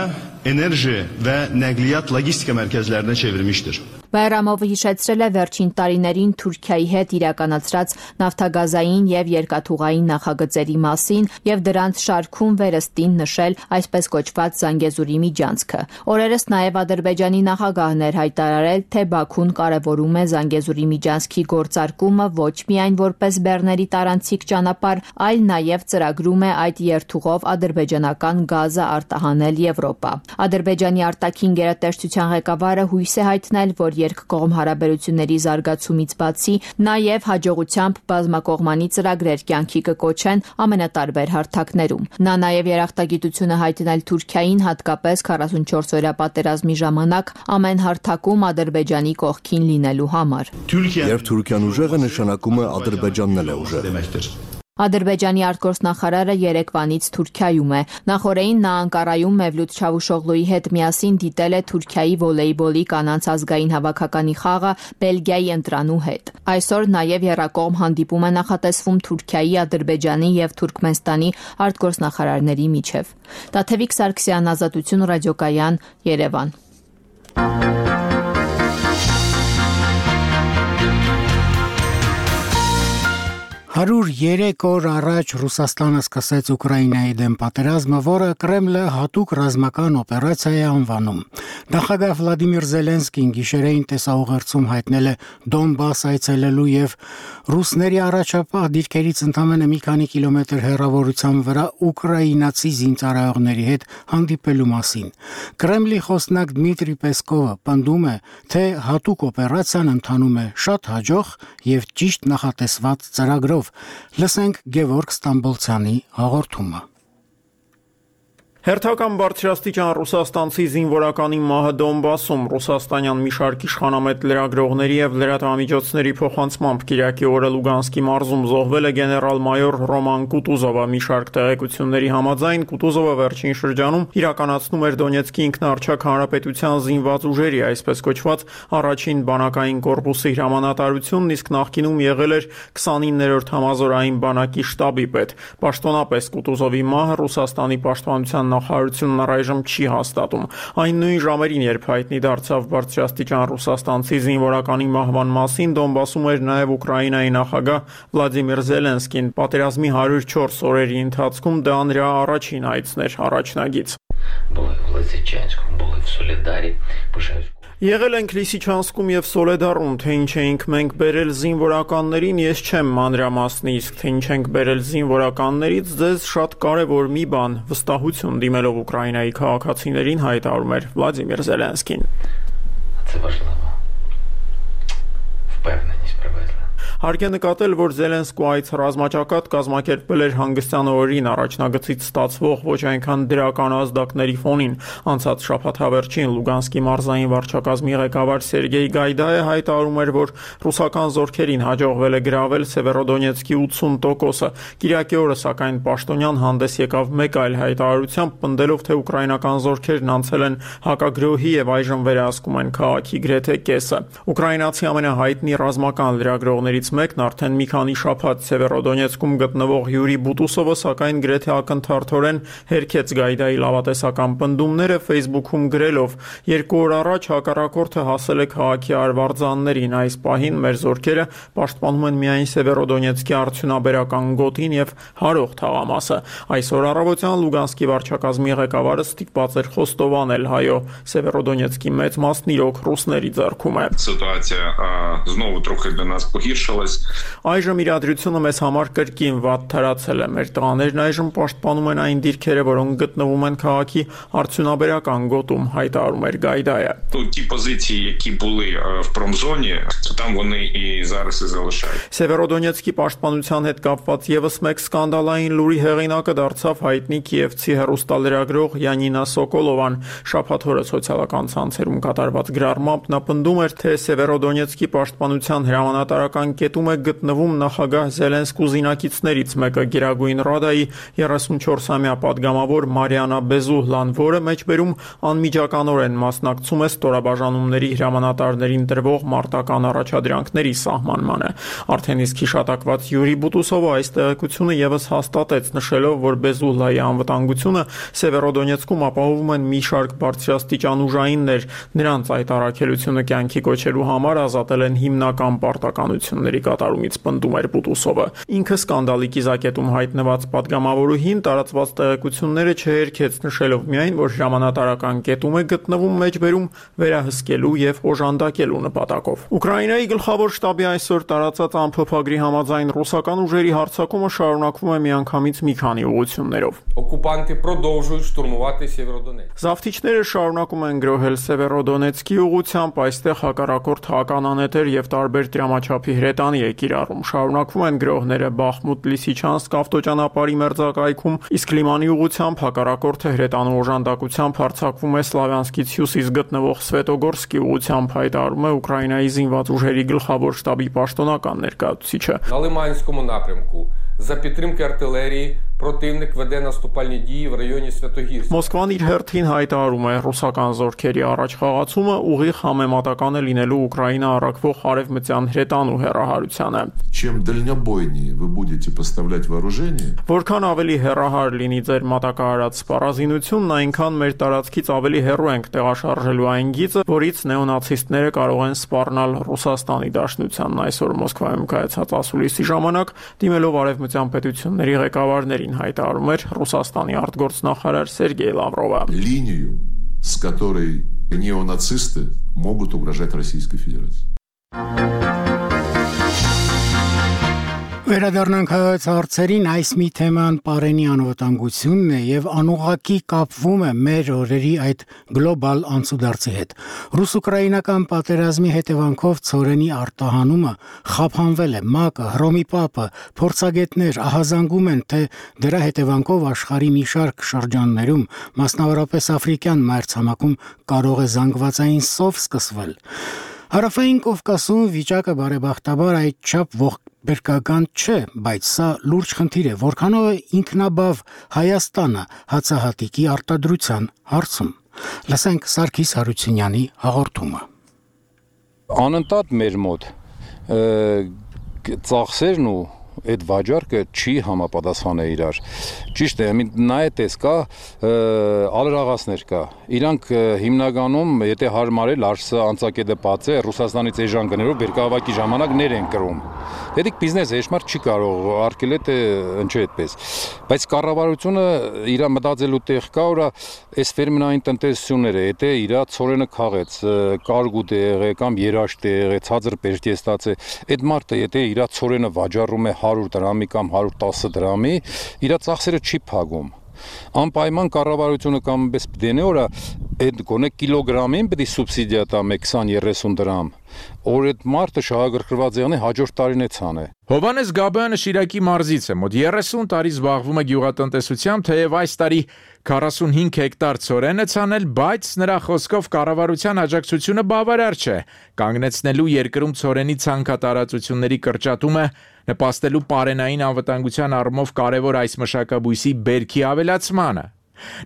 Speaker 11: enerji və nəqliyyat logistika mərkəzlərinə çevirmişdir.
Speaker 10: Բայրամովը հիշեցրել է վերջին տարիներին Թուրքիայի հետ իրականացրած նավթագազային եւ երկաթուղային նախագծերի մասին եւ դրանց շարքում վերստին նշել այսպես կոչված Զանգեզուրի միջանցքը։ Օրերս նաեւ Ադրբեջանի նախագահն էր հայտարարել, թե Բաքուն կարևորում է Զանգեզուրի միջանցքի գործարկումը ոչ միայն որպես բեռների տարանցիկ ճանապարհ, այլ նաեւ ծրագրում է այդ երթուղով ադրբեջանական գազը արտահանել Եվրոպա։ Ադրբեջանի արտաքին գերատեսչության ղեկավարը հույս է հայտնել, որ երկկողմ հարաբերությունների զարգացումից բացի նաև հաջողությամբ բազմակողմանի ծրագրեր կյանքի կկոչեն ամենատարբեր հարթակներում։ Նա նաև երախտագիտությունը հայտնել Թուրքիային հատկապես 44-օրյա պատերազմի ժամանակ ամեն հարթակում Ադրբեջանի կողքին լինելու համար։
Speaker 9: Երբ Թուրքիան ուժեղ է, նշանակում է Ադրբեջանն էլ է ուժեղ։
Speaker 10: Ադրբեջանի արտգործնախարարը երեկվանից Թուրքիայում է։ Նախորդին նա Անկարայում Մևլութ Չավուշօղլուի հետ միասին դիտել է Թուրքիայի վոլեյբոլի կանանց ազգային հավաքականի խաղը Բելգիայի ընտրանու հետ։ Այսօր նաև եռակողմ հանդիպում է նախատեսվում Թուրքիայի, Ադրբեջանի եւ Թուրքմենստանի արտգործնախարարների միջև։ Տաթևիկ Սարգսյան, Ազատություն ռադիոկայան, Երևան։
Speaker 1: 103 օր առաջ Ռուսաստանը սկսեց Ուկրաինայի դեմ պատերազմը, որը Կրեմլը հատուկ ռազմական օպերացիա է անվանում։ Նախագահ Վլադիմիր Զելենսկին գիշերային տեսաուղերձում հայտնել է Դոնբաս այցելելու եւ ռուսների առաջապահ դիրքերից ընդամենը մի քանի կիլոմետր հեռավորության վրա ուկրաինացի զինծառայողների հետ հանդիպելու մասին։ Կրեմլի խոսնակ Դմիտրի Պեսկովը պնդում է, թե հատուկ օպերացիան ընթանում է շատ հաջող եւ ճիշտ նախատեսված ծրագրով։ Լսենք Գևորգ Ստամբոլցյանի հաղորդումը։
Speaker 12: Հերթական բարձրաստիճան ռուսաստանցի զինվորականի մահը Դոնբասում ռուսաստանյան մի շարք իշխանամետ լրագրողների եւ լրատվամիջոցների փոխանցմամբ Կիրակի օրը Լուգանսկի մարզում զոհվել է գեներալ-մայոր Ռոման Կուտուզովը։ Մի շարք տեղեկությունների համաձայն Կուտուզովը վերջին շրջանում իրականացնում էր Դոնեցկի ինքնաառչակ հանրապետության զինված ուժերի, այսպես կոչված առաջին բանակային կորպուսի հրամանատարությունն, իսկ նախկինում եղել էր 29-րդ համազորային բանակի շտաբի պետ։ Պաշտոնապես Կուտուզովի մահը Ռուսաստանի պաշտպանության նախարարությունն առայժմ չի հաստատում։ Այն նույն ժամերին, երբ հայտնի դարձավ բարձրաստիճան ռուսաստանցի զինվորականի մահվան մասին, Դոնբասում էր նաև Ուկրաինայի նախագահ Վլադիմիր Զելենսկին։ Պատերազմի 104 օրերի ընթացքում դա նրա առաջին այցն էր առաջնագից։ Եղել ենք Լիսիչանսկում եւ Սոլեդարում, թե ինչ էինք մենք բերել զինվորականներին, ես չեմ մանրամասնի, իսկ թե ինչ ենք բերել զինվորականներից, ձեզ շատ կարևոր մի բան, վստահություն դիմելով Ուկրաինայի քաղաքացիներին հայտարարում էր Վլադիմիր Զելենսկին։ Հարկ է նկատել, որ Զելենսկու այցը ռազմաճակատ կազմակերպվել էր հանգստյան օրերին առաջնագծից ստացվող ոչ այնքան դրական ազդակների ֆոնին։ Անցած շաբաթավերջին Լուգանսկի մարզային վարչակազմի ղեկավար Սերգեյ Գայդայը հայտարարում էր, որ ռուսական զորքերին հաջողվել է գրավել Սևերոդոնեցկի 80%-ը։ Կիրակի օրը սակայն պաշտոնյան հանդես եկավ մեկ այլ հայտարարությամբ, պնդելով, թե ուկրաինական զորքերն անցել են հակագրոհի եւ այժմ վերահսկում են քաղաքի գրեթե կեսը։ Ուկրաինացի ամենահայտնի ռազմական լրագրողներից մեկն արդեն մի քանի շաբաթ Սևերոդոնեցկում գտնվող Յուրի Բուտուսովը սակայն գրեթե ակնթարթորեն հերքեց Գայդայի լավատեսական պնդումները Facebook-ում գրելով. «Երկու օր առաջ հակառակորդը հասել է քաղաքի արվարձաններին, այս պահին մեր զորքերը պաշտպանում են միայն Սևերոդոնեցկի արդյունաբերական գոտին եւ հարող թաղամասը»։ Այսօր առավոտյան Լուգանսկի վարչակազմի ղեկավարը ստիպված էր խոստովանել. «Հայո, Սևերոդոնեցկի մեծ մասն իրոք ռուսների ձեռքում է»։ Այժմ իրադրությունը մեզ համար կրկին վատ թարացել է։ Մեր տղաներն այժմ պաշտպանում են այն դիրքերը, որոնք գտնվում են քաղաքի արդյունաբերական գոտում, հայտարարում էր Գայդայը։ Սևերոդոնեցկի պաշտպանության հետ կապված եւս մեկ սկանդալային լուրի հեղինակը դարձավ հայտնի կիևցի հեռուստալրագրող Յանինա Սոկոլովան։ Շաբաթ օրը սոցիալական ցանցերում կատարված գրառմամբ նա պնդում էր, թե Սևերոդոնեցկի պաշտպանության հրամանատարական կետում է գտնվում նախագահ Զելենսկու զինակիցներից մեկը Գերագույն Ռադայի 34-ամյա падգամավոր Մարիանա Բեզուհլան, որը մեջբերում անմիջականորեն մասնակցում է ստորաբաժանումների հրամանատարներին տրվող մարտական առաջադրանքների սահմանմանը։ Արդեն իսկ հիշատակված Յուրի Բուտուսովը այս տեղեկությունը եւս հաստատեց, նշելով, որ Բեզուհլայի անվտանգությունը Սևերոդոնեցկում ապահովում են մի շարք բարձրաստիճան ուժայիններ։ Նրանց այդ առաքելությունը կյանքի կոչելու համար ազատել են հիմնական պարտականությունների կատարումից, պնդում էր Բուտուսովը։ Ինքը սկանդալի կիզակետում հայտնված падգամավորուհին տարածված տեղեկությունները չհերքեց, նշելով միայն, որ հրամանատարական կետում է գտնվում մեջբերում վերահսկելու եւ օժանդակելու նպատակով։ Ուկրաինայի գլխավոր շտաբի այսօր տարածած ամփոփագրի համաձայն ռուսական ուժերի հարձակումը շարունակվում է միանգամից մի քանի ուղղություններով։
Speaker 13: Օկուպանտի продовжують штурмувати Сєвєродонецьк։
Speaker 12: Զավթիչները շարունակում են գրոհել Սևերոդոնեցկի ուղղությամբ, այստեղ հակառակորդ հականանետեր եւ տարբեր դրամաչափի հրետանի է կիրառում։ Շարունակվում են գրոհները Բախմուտ Լիսիչանսկ ավտոճանապարհի մերձակայքում, իսկ Լիմանի ուղղությամբ հակառակորդը հրետանու օժանդակությամբ հարձակվում է Սլավյանսկից հյուսիս գտնվող Սվետոգորսկի ուղղությամբ, հայտարարում է Ուկրաինայի զինված ուժերի գլխավոր շտաբի պաշտոնական ներկայացուցիչը։
Speaker 13: На Лиманському напрямку За підтримки артилерії противник веде наступальні дії в районі Святогірська.
Speaker 12: Մոսկվան իր հերթին հայտարարում է ռուսական զորքերի առաջխաղացումը ուղիղ համեմատական է լինելու Ուկրաինա առաքվող արևմտյան հրետանու հեռահարությանը։
Speaker 14: Чем дальнобойнее вы будете поставлять вооружение,
Speaker 12: Որքան ավելի հեռահար լինի ձեր մատակարարած սպառազինությունն, այնքան մեր տարածքից ավելի հեռու ենք տեղաշարժելու այն գիծը, որից նեոնացիստները կարող են սպառնալ Ռուսաստանի Դաշնությանն այսօր Մոսկվայում կայացած ասուլիսի ժամանակ, դիմելով արևմտյան պետությունների ղեկավարներին հայտարարում էր Ռուսաստանի արտգործնախարար Սերգեյ Լավրովը։
Speaker 14: линию, с которой неонацисты могут угрожать Российской Федерации.
Speaker 1: Վերադառնանք հայոց հարցերին, այս մի թեման պարենի անվտանգությունն է եւ անուղղակի կապվում է մեր օրերի այդ գլոբալ անցուդարձի հետ։ Ռուս-ուկրաինական պատերազմի հետևանքով ծորենի արտահանումը խափանվել է, ՄԱԿ-ը, Հռոմի Պապը, փորձագետներ ահազանգում են, թե դրա հետևանքով աշխարհի մի շարք շրջաններում, մասնավորապես Աֆրիկյան մայրցամաքում կարող է զանգվածային սով սկսվել։ Հարավային Կովկասում վիճակը բարեբախտաբար այդչափ ողբերգական չէ, բայց սա լուրջ խնդիր է, որքանով է ինքնաբավ Հայաստանը հացահատիկի արտադրության հարցում։ Լսենք Սարգիս Հարությունյանի հաղորդումը։
Speaker 15: Անընդհատ մեր մոտ ծախսերն ու այդ վաճառքը չի համապատասխանել իրար։ Ճիշտ է, նա է տեսքա ալրաղասներ կա։ Իրանք հիմնականում, եթե հարմարել արսը անցակետը բաց է, Ռուսաստանից էժան գներով բերքահավաքի ժամանակ ներ են կրում։ Դեդիկ բիզնես էշմար չի կարող արկել է ընչի այդպես։ Բայց կառավարությունը իր մտածելու տեղ կա, որ այս ֆերմերային տնտեսությունները, եթե իր ծորենը քաղեց, կարգուտ է եղել կամ երաշտ է եղել, ցածր բերքի է ստացել, այդ մարդը եթե իր ծորենը վաճառում է 100 դրամի կամ 110 դրամի, իր ծախսերը չի փակում։ Անպայման կառավարությունը կամ պես դենե օրա այդ գոնե կիլոգրամին պետք է սուբսիդիա տա 20-30 դրամ։ Որ այդ մարդը շահագրգռված եղնի հաջորդ տարին է ցանը։
Speaker 16: Հովհաննես Գաբոյանը Շիրակի մարզից է, մոտ 30 տարի զբաղվում է գյուղատնտեսությամբ, թեև այս տարի 45 հեկտար ծորեն է ցանել, բայց նրա խոսքով կառավարության աջակցությունը բավարար չէ։ Կանգնեցնելու երկրում ծորենի ցանքատարածությունների կրճատումը նպաստելու պարենային անվտանգության առումով կարևոր այս մշակաբույսի բերքի ավելացմանը։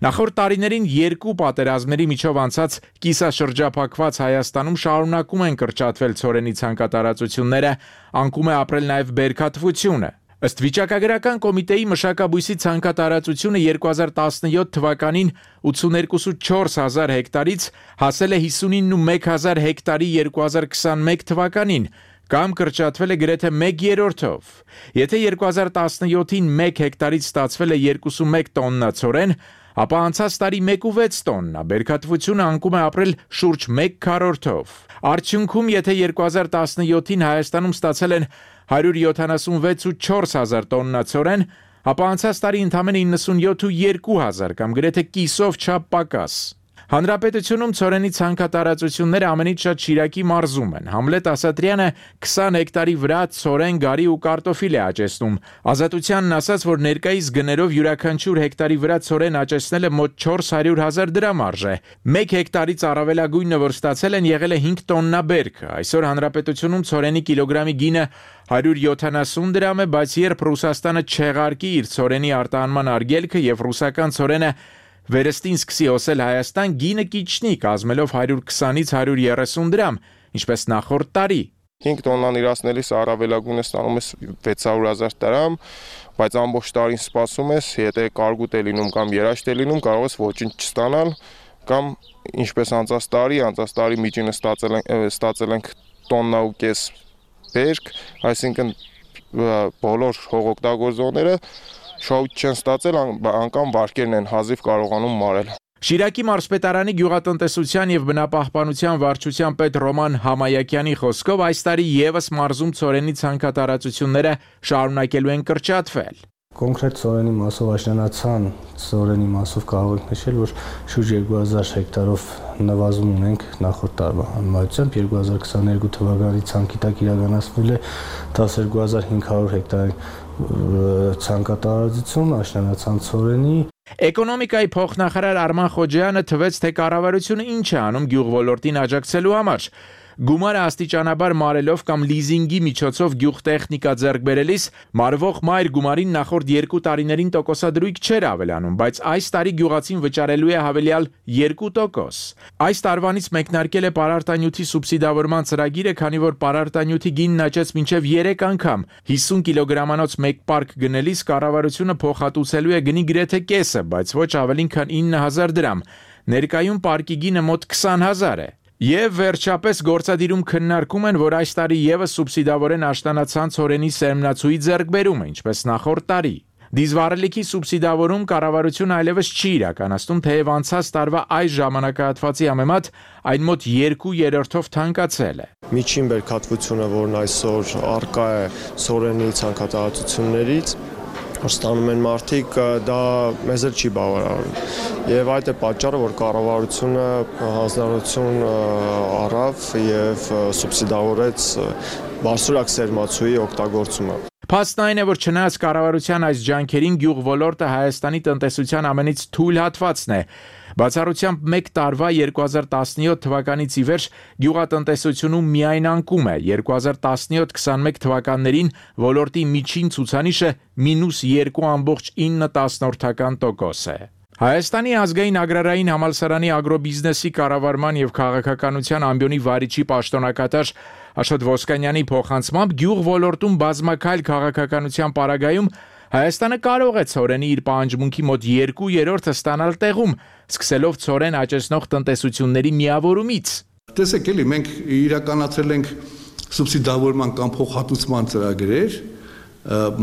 Speaker 16: Նախորդ տարիներին երկու պատերազմների միջով անցած կիսաշրջափակված Հայաստանում շարունակում են կրճատվել ծորենի ցանկատարածությունները, անկում է ապրել նաև բերքատվությունը։ Ըստ վիճակագրական կոմիտեի մշակաբույսի ցանկատարածությունը 2017 թվականին 82.4 հազար հեկտարից հասել է 59.1 հեկտարի 2021 թվականին, կամ կրճատվել է գրեթե 1/3-ով։ Եթե 2017-ին 1 հեկտարից ստացվել է 21 տոննա ծորեն, ապա անցած տարի 1.6 տոննա, բերքատվությունը անկում է ապրել շուրջ 1/4-ով։ Արդյունքում, եթե 2017-ին Հայաստանում ստացել են 176.4 հազար տոննա ծորեն, ապա անցած տարի ընդամենը 97.2 հազար կամ գրեթե կիսով չափ պակաս։ Հանրապետությունում ծորենի ցանկատարածությունները ամենից շատ Շիրակի մարզում են։ Համլետ Ասատրյանը 20 հեկտարի վրա ծորեն, գարի ու կարտոֆիլ է աճեցնում։ Ազատությանն ասաց, որ ներկայիս գներով յուրաքանչյուր հեկտարի վրա ծորեն աճեցնելը մոտ 400,000 դրամ արժե։ 1 հեկտարից առավելագույնը, որ ստացել են, եղել է 5 տոննա բերք։ Այսօր հանրապետությունում ծորենի կիլոգրամի գինը 170 դրամ է, բայց երբ Ռուսաստանը չեղարկի իր ծորենի արտահանման արգելքը եւ ռուսական ծորենը վերստին սկսի օսել Հայաստան, գինը կիչնի, կազմելով 120-ից 130 դրամ, ինչպես նախորդ տարի։
Speaker 17: 5 տոննան իրացնելիս առավելագույնը ստանում ես 600,000 դրամ, բայց ամբողջ տարին սպասում ես, եթե կարգուտ է լինում կամ երաշտ է լինում, կարող ես ոչինչ չստանալ, կամ ինչպես անցած տարի միջինը ստացել ենք տոննա ու կես բերք, այսինքն բոլոր հողօգտագործողները շահույթ չեն ստացել, անգամ վարկերն են հազիվ կարողանում մարել։
Speaker 16: Շիրակի մարզպետարանի գյուղատնտեսության եւ բնապահպանության վարչության պետ Ռոման Համայակյանի խոսքով այս տարի եւս մարզում ծորենի ցանկատարածությունները շարունակելու են կրճատվել։
Speaker 18: Կոնկրետ ծորենի մասով աշնանացան ծորենի մասով կարող ենք նշել, որ շուրջ 2000 հեկտարով նվազում ունենք նախորդ տարվա համեմատությամբ 2022 թվականի ցանկի տակ իրականացվել է 12500 հեկտար ցանկատարածություն աշնանացան ծորենի։
Speaker 16: Էկոնոմիկայի փոխնախարար Արման Խոջյանը թվեց, թե կառավարությունը ինչ է անում գյուղ ոլորտին աջակցելու համար։ Գումարը աստիճանաբար մարելով կամ լիզինգի միջոցով գյուղտեխնիկա ձեռք բերելիս մարվող մայր գումարին նախորդ 2 տարիներին տոկոսադրույք չէր ավելանում, բայց այս տարի գյուղացին վճարելու է հավելյալ 2%։ Այս տարվանից մեկնարկել է պարարտանյութի սուբսիդավորման ծրագիրը, քանի որ պարարտանյութի գինն աճեց մինչև 3 անգամ։ 50 կիլոգրամանոց մեկ պարկ գնելիս կառավարությունը փոխհատուցելու է գնի գրեթե կեսը, բայց ոչ ավելին քան 9000 դրամ։ Ներկայում պարկի գինը մոտ 20000 է։ Եվ վերջապես գործադիրում քննարկում են, որ այս տարի եւս սուբսիդավորեն աշտանացան ցորենի սերմնացուի ձեռքբերումը, ինչպես նախորդ տարի։ Դիզվառելիքի սուբսիդավորում կառավարությունը այլևս չի իրականացնում, թեև անցած տարվա այս ժամանակահատվածի համեմատ այն մոտ 2/3-ով թանկացել է։
Speaker 19: Միջին բերքատվությունը, որն այսօր առկա է ցորենի ցանկատարություններից, ստանում են մարդիկ, դա մեզ էլ չի բավարարում։ Եվ այդ է պատճառը, որ կառավարությունը հանձնարարություն առավ եւ սուբսիդավորեց բարձրակ սերմացուի օգտագործումը։
Speaker 16: Փաստն այն է, որ չնայած կառավարության այս ջանքերին գյուղ ոլորտը Հայաստանի տնտեսության ամենից թույլ հատվածն է։ Բացառությամբ մեկ տարվա 2017 թվականից ի վեր գյուղատնտեսությունում միայն անկում է։ 2017-21 թվականներին ոլորտի միջին ցուցանիշը -2.9% է։ Հայաստանի ազգային agrarային համալսարանի ագրոբիզնեսի կառավարման եւ քաղաքականության ամբիոնի վարիչի պաշտոնակատար Աշոտ Ոսկանյանի փոխանցմամբ գյուղ ոլորտում բազմակայլ քաղաքականության պարագայում Հայաստանը կարող է ցորենի իր պահանջմունքի մոտ 2/3-ը ստանալ տեղում, սկսելով ցորեն աճեցնող տնտեսությունների միավորումից։
Speaker 20: Տեսեք, էլի մենք իրականացրել ենք սուբսիդավորման կամ փոխհատուցման ծրագրեր,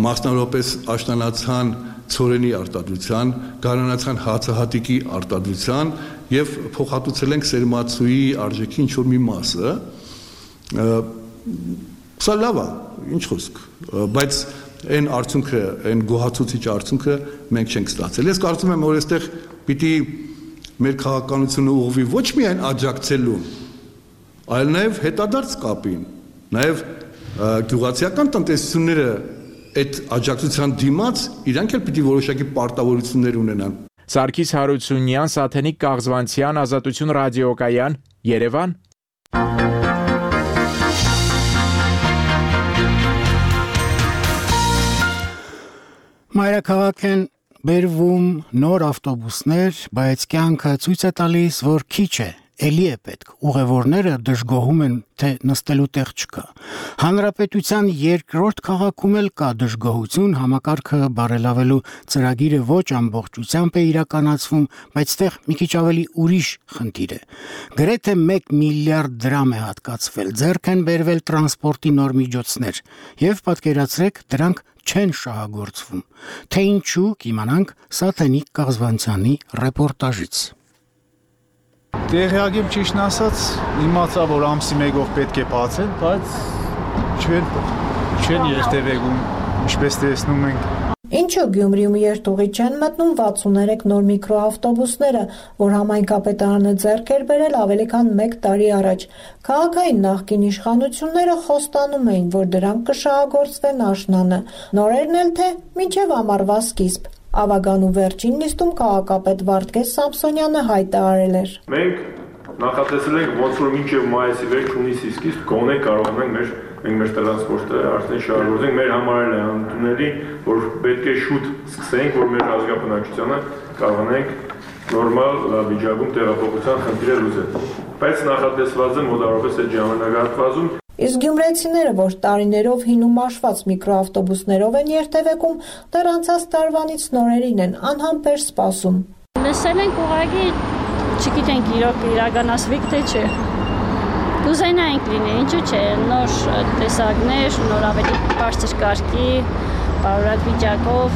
Speaker 20: մասնավորապես աշտանացան ցորենի արտադրության, գարանացան հացահատիկի արտադրության եւ փոխհատուցել ենք սերմացուի արժեքի ինչ-որ մի մասը։ Սա լավ է, ինչ խոսք, բայց այն արդյունքը, այն գոհացուցիչ արդյունքը մենք չենք ստացել։ Ես կարծում եմ, որ այստեղ պիտի մեր քաղաքականությունը ուղղվի ոչ միայն աջակցելու, այլ նաեւ հետադարձ կապին, նաեւ գյուղացիական տնտեսությունները այդ աջակցության դիմաց իրանք էլ պիտի որոշակի պարտավորություններ ունենան։
Speaker 16: Սարգիս Հարությունյան, Սաթենիկ Կաղզվանցյան, Ազատություն ռադիոկայան, Երևան։
Speaker 1: Մայրաքաղաք են բերվում նոր ավտոբուսներ, բայց կյանքը ցույց է տալիս, որ քիչ է, էլի է պետք։ Ուղևորները դժգոհում են, թե նստելու տեղ չկա։ Հանրապետության երկրորդ քաղաքում էլ կա դժգոհություն, համակարգը բարելավելու ծրագիրը ոչ ամբողջությամբ է իրականացվում, բայց այդտեղ մի քիչ ավելի ուրիշ խնդիր է։ Գրեթե 1 միլիարդ դրամ է հատկացվել, ձեռք են բերվել տրանսպորտի նոր միջոցներ, եւ պատկերացրեք, դրանք չեն շահագործվում։ Թե ինչու, կիմանանք Սաթենիկ Կաղզվանցյանի ռեպորտաժից։
Speaker 21: Տեղյակ եմ, ճիշտն ասած, իմացա, որ ամսի մեկով պետք է բացեն, բայց չեն երթևեկում, ինչպես տեսնում ենք։
Speaker 22: Ինչու Գյումրիում երթուղի չեն մտնում 63 նոր միկրոավտոբուսները, որ համայնքապետարանը ձեռք էր բերել ավելի քան 1 տարի առաջ։ Քաղաքային նախկին իշխանությունները խոստանում էին, որ դրանք կշահագործվեն աշնանը, նորերն էլ թե մինչև ամառվա սկիզբ։ Ավագանու վերջին նիստում քաղաքապետ Վարդգես Սամսոնյանը հայտարարել էր.
Speaker 23: Մենք նախատեսել ենք ոնց որ մինչև մայիսի վերջ հունիսի սկիզբ գոնե կարողանանք մեր տրանսպորտը արդեն շահագործենք, մեր համար էլ է անընդունելի, որ պետք է շուտ սկսենք, որ մեր ազգաբնակչությանը կարողանանք նորմալ վիճակում տեղափոխության խնդիրը լուծել։ Բայց նախատեսված է մոտավորապես այդ ժամանակահատվածում։
Speaker 22: Իսկ գյումրեցիները, որ տարիներով հին ու մաշված միկրոավտոբուսներով են երթևեկում, դեռ անցած տարվանից նորերին են անհամբեր սպասում։
Speaker 24: Լսել ենք ուղղակի չգիտենք իրոք իրականացվի թե չէ։ Կուզենայինք լինի, ինչու՞ չէ, նոր տեսակներ, նոր ավելի բարձր կարգի, բարորակ վիճակով,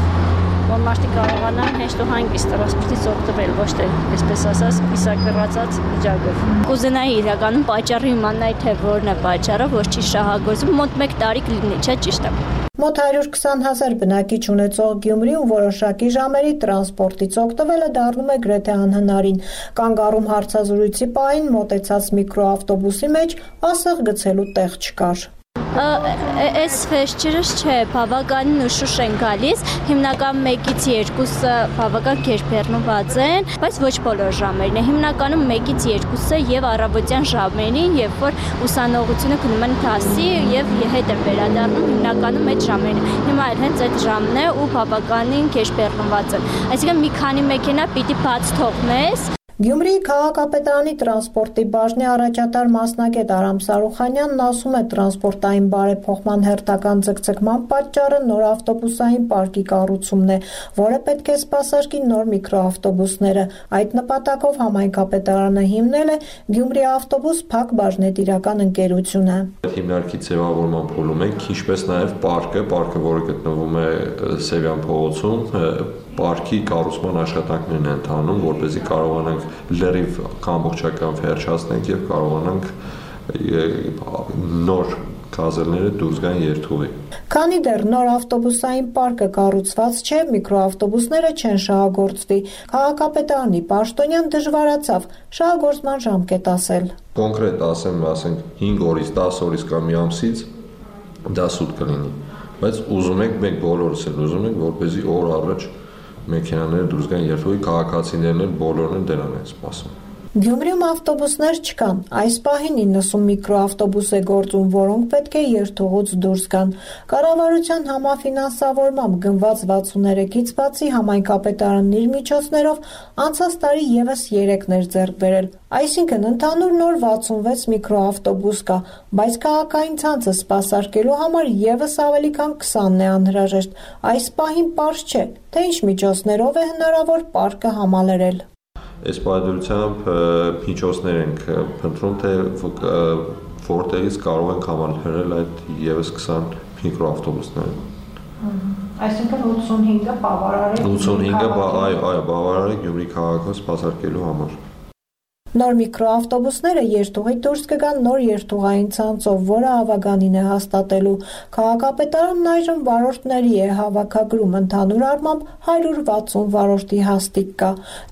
Speaker 24: որ մարդիկ կարողանան հեշտ ու հանգիստ տրանսպորտից օգտվել, ոչ թե այսպես ասած կիսակռացած վիճակով։
Speaker 25: Կուզենայի իրականում պատճառը իմանալ, թե որն է պատճառը, որ չի շահագործվում, մոտ 1 տարի կլինի, չէ՞ ճիշտ է։
Speaker 22: Մոտ 120,000 բնակիչ ունեցող Գյումրիում որոշակի ժամերի տրանսպորտից օգտվելը դառնում է գրեթե անհնարին։ Կանգառում հարցազրույցի պահին մոտեցած միկրոավտոբուսի մեջ ասեղ գցելու տեղ չկար։
Speaker 25: Այս ֆեշչերս չէ, բավականին ուշուշ են գալիս, հիմնական 1-ից 2-ը բավական գերբեռնված են, բայց ոչ բոլոր ժամերին է, հիմնականում 1-ից 2-ը եւ առավոտյան ժամերին, երբ որ ուսանողությունը գնում են դասի եւ հետ են վերադառնում, հիմնականում այդ ժամերին է, հիմա էլ հենց այդ ժամն է ու բավականին գերբեռնված են, այսինքն մի քանի մեքենա պիտի բաց թողնես։
Speaker 22: Գյումրիի քաղաքապետարանի տրանսպորտի բաժնի առաջատար մասնագետ Արամ Սարուխանյանն ասում է, տրանսպորտային բարեփոխման հերթական ձգձգման պատճառը նոր ավտոբուսային պարկի կառուցումն է, որը պետք է սպասարկի նոր միկրոավտոբուսները։ Այդ նպատակով համայնքապետարանը հիմնել է Գյումրի ավտոբուս փակ բաժնետիրական ընկերությունը։
Speaker 2: Հիմնարկի ձևավորման փուլում ենք, ինչպես նաև պարկը, որը գտնվում է Սևյան փողոցում, պարկի կառուցման աշխատանքներն են ընթանում, որպեսզի կարողանանք լրիվ ամբողջական վերջացնենք եւ կարողանանք նոր գազելները դուրս գան երթուղի։
Speaker 22: Քանի դեռ նոր ավտոբուսային պարկը կառուցված չէ, միկրոավտոբուսները չեն շահագործվի։ Քաղաքապետարանի պաշտոնյան դժվարացավ շահագործման ժամկետ ասել։
Speaker 2: Կոնկրետ ասենք 5 օրից 10 օրից կամ մի ամսից դա սուտ կլինի, բայց ուզում ենք, մենք բոլորս էլ ուզում ենք, որպեսզի օր առաջ մեքենաները դուրս գան երթուղի, քաղաքացիներն էլ բոլորն են դրան են սպասում։
Speaker 22: Գյումրիում ավտոբուսներ չկան, այս պահին 90 միկրոավտոբուս է գործում, որոնք պետք է երթուղուց դուրս գան։ Կառավարության համաֆինանսավորմամբ գնված 63-ից բացի համայնքապետարանն իր միջոցներով անցած տարի եւս 3-ներ ձեռք բերել, այսինքն ընդհանուր նոր 66 միկրոավտոբուս կա, բայց քաղաքային ցանցը սպասարկելու համար եւս ավելի քան 20-ն է անհրաժեշտ։ Այս պահին պարզ չէ, թե ինչ միջոցներով է հնարավոր պարկը համալրել։
Speaker 2: Այս պայմանությամբ միջոցներ ենք փնտրում, թե որտեղից կարող ենք համալրել այդ եւս 20 միկրոավտոբուսները։
Speaker 22: Այսինքն 85-ը բավարար է։
Speaker 2: 85-ը բավարար է Գյումրի քաղաքը սպասարկելու համար։
Speaker 22: Նոր միկրոավտոբուսները երթուղի դուրս կգան նոր երթուղային ցանցով, որը ավագանին է հաստատելու։ Քաղաքապետարանն այժմ վարորդների է հավաքագրում, ընդհանուր առմամբ 160 վարորդի հաստիք կա։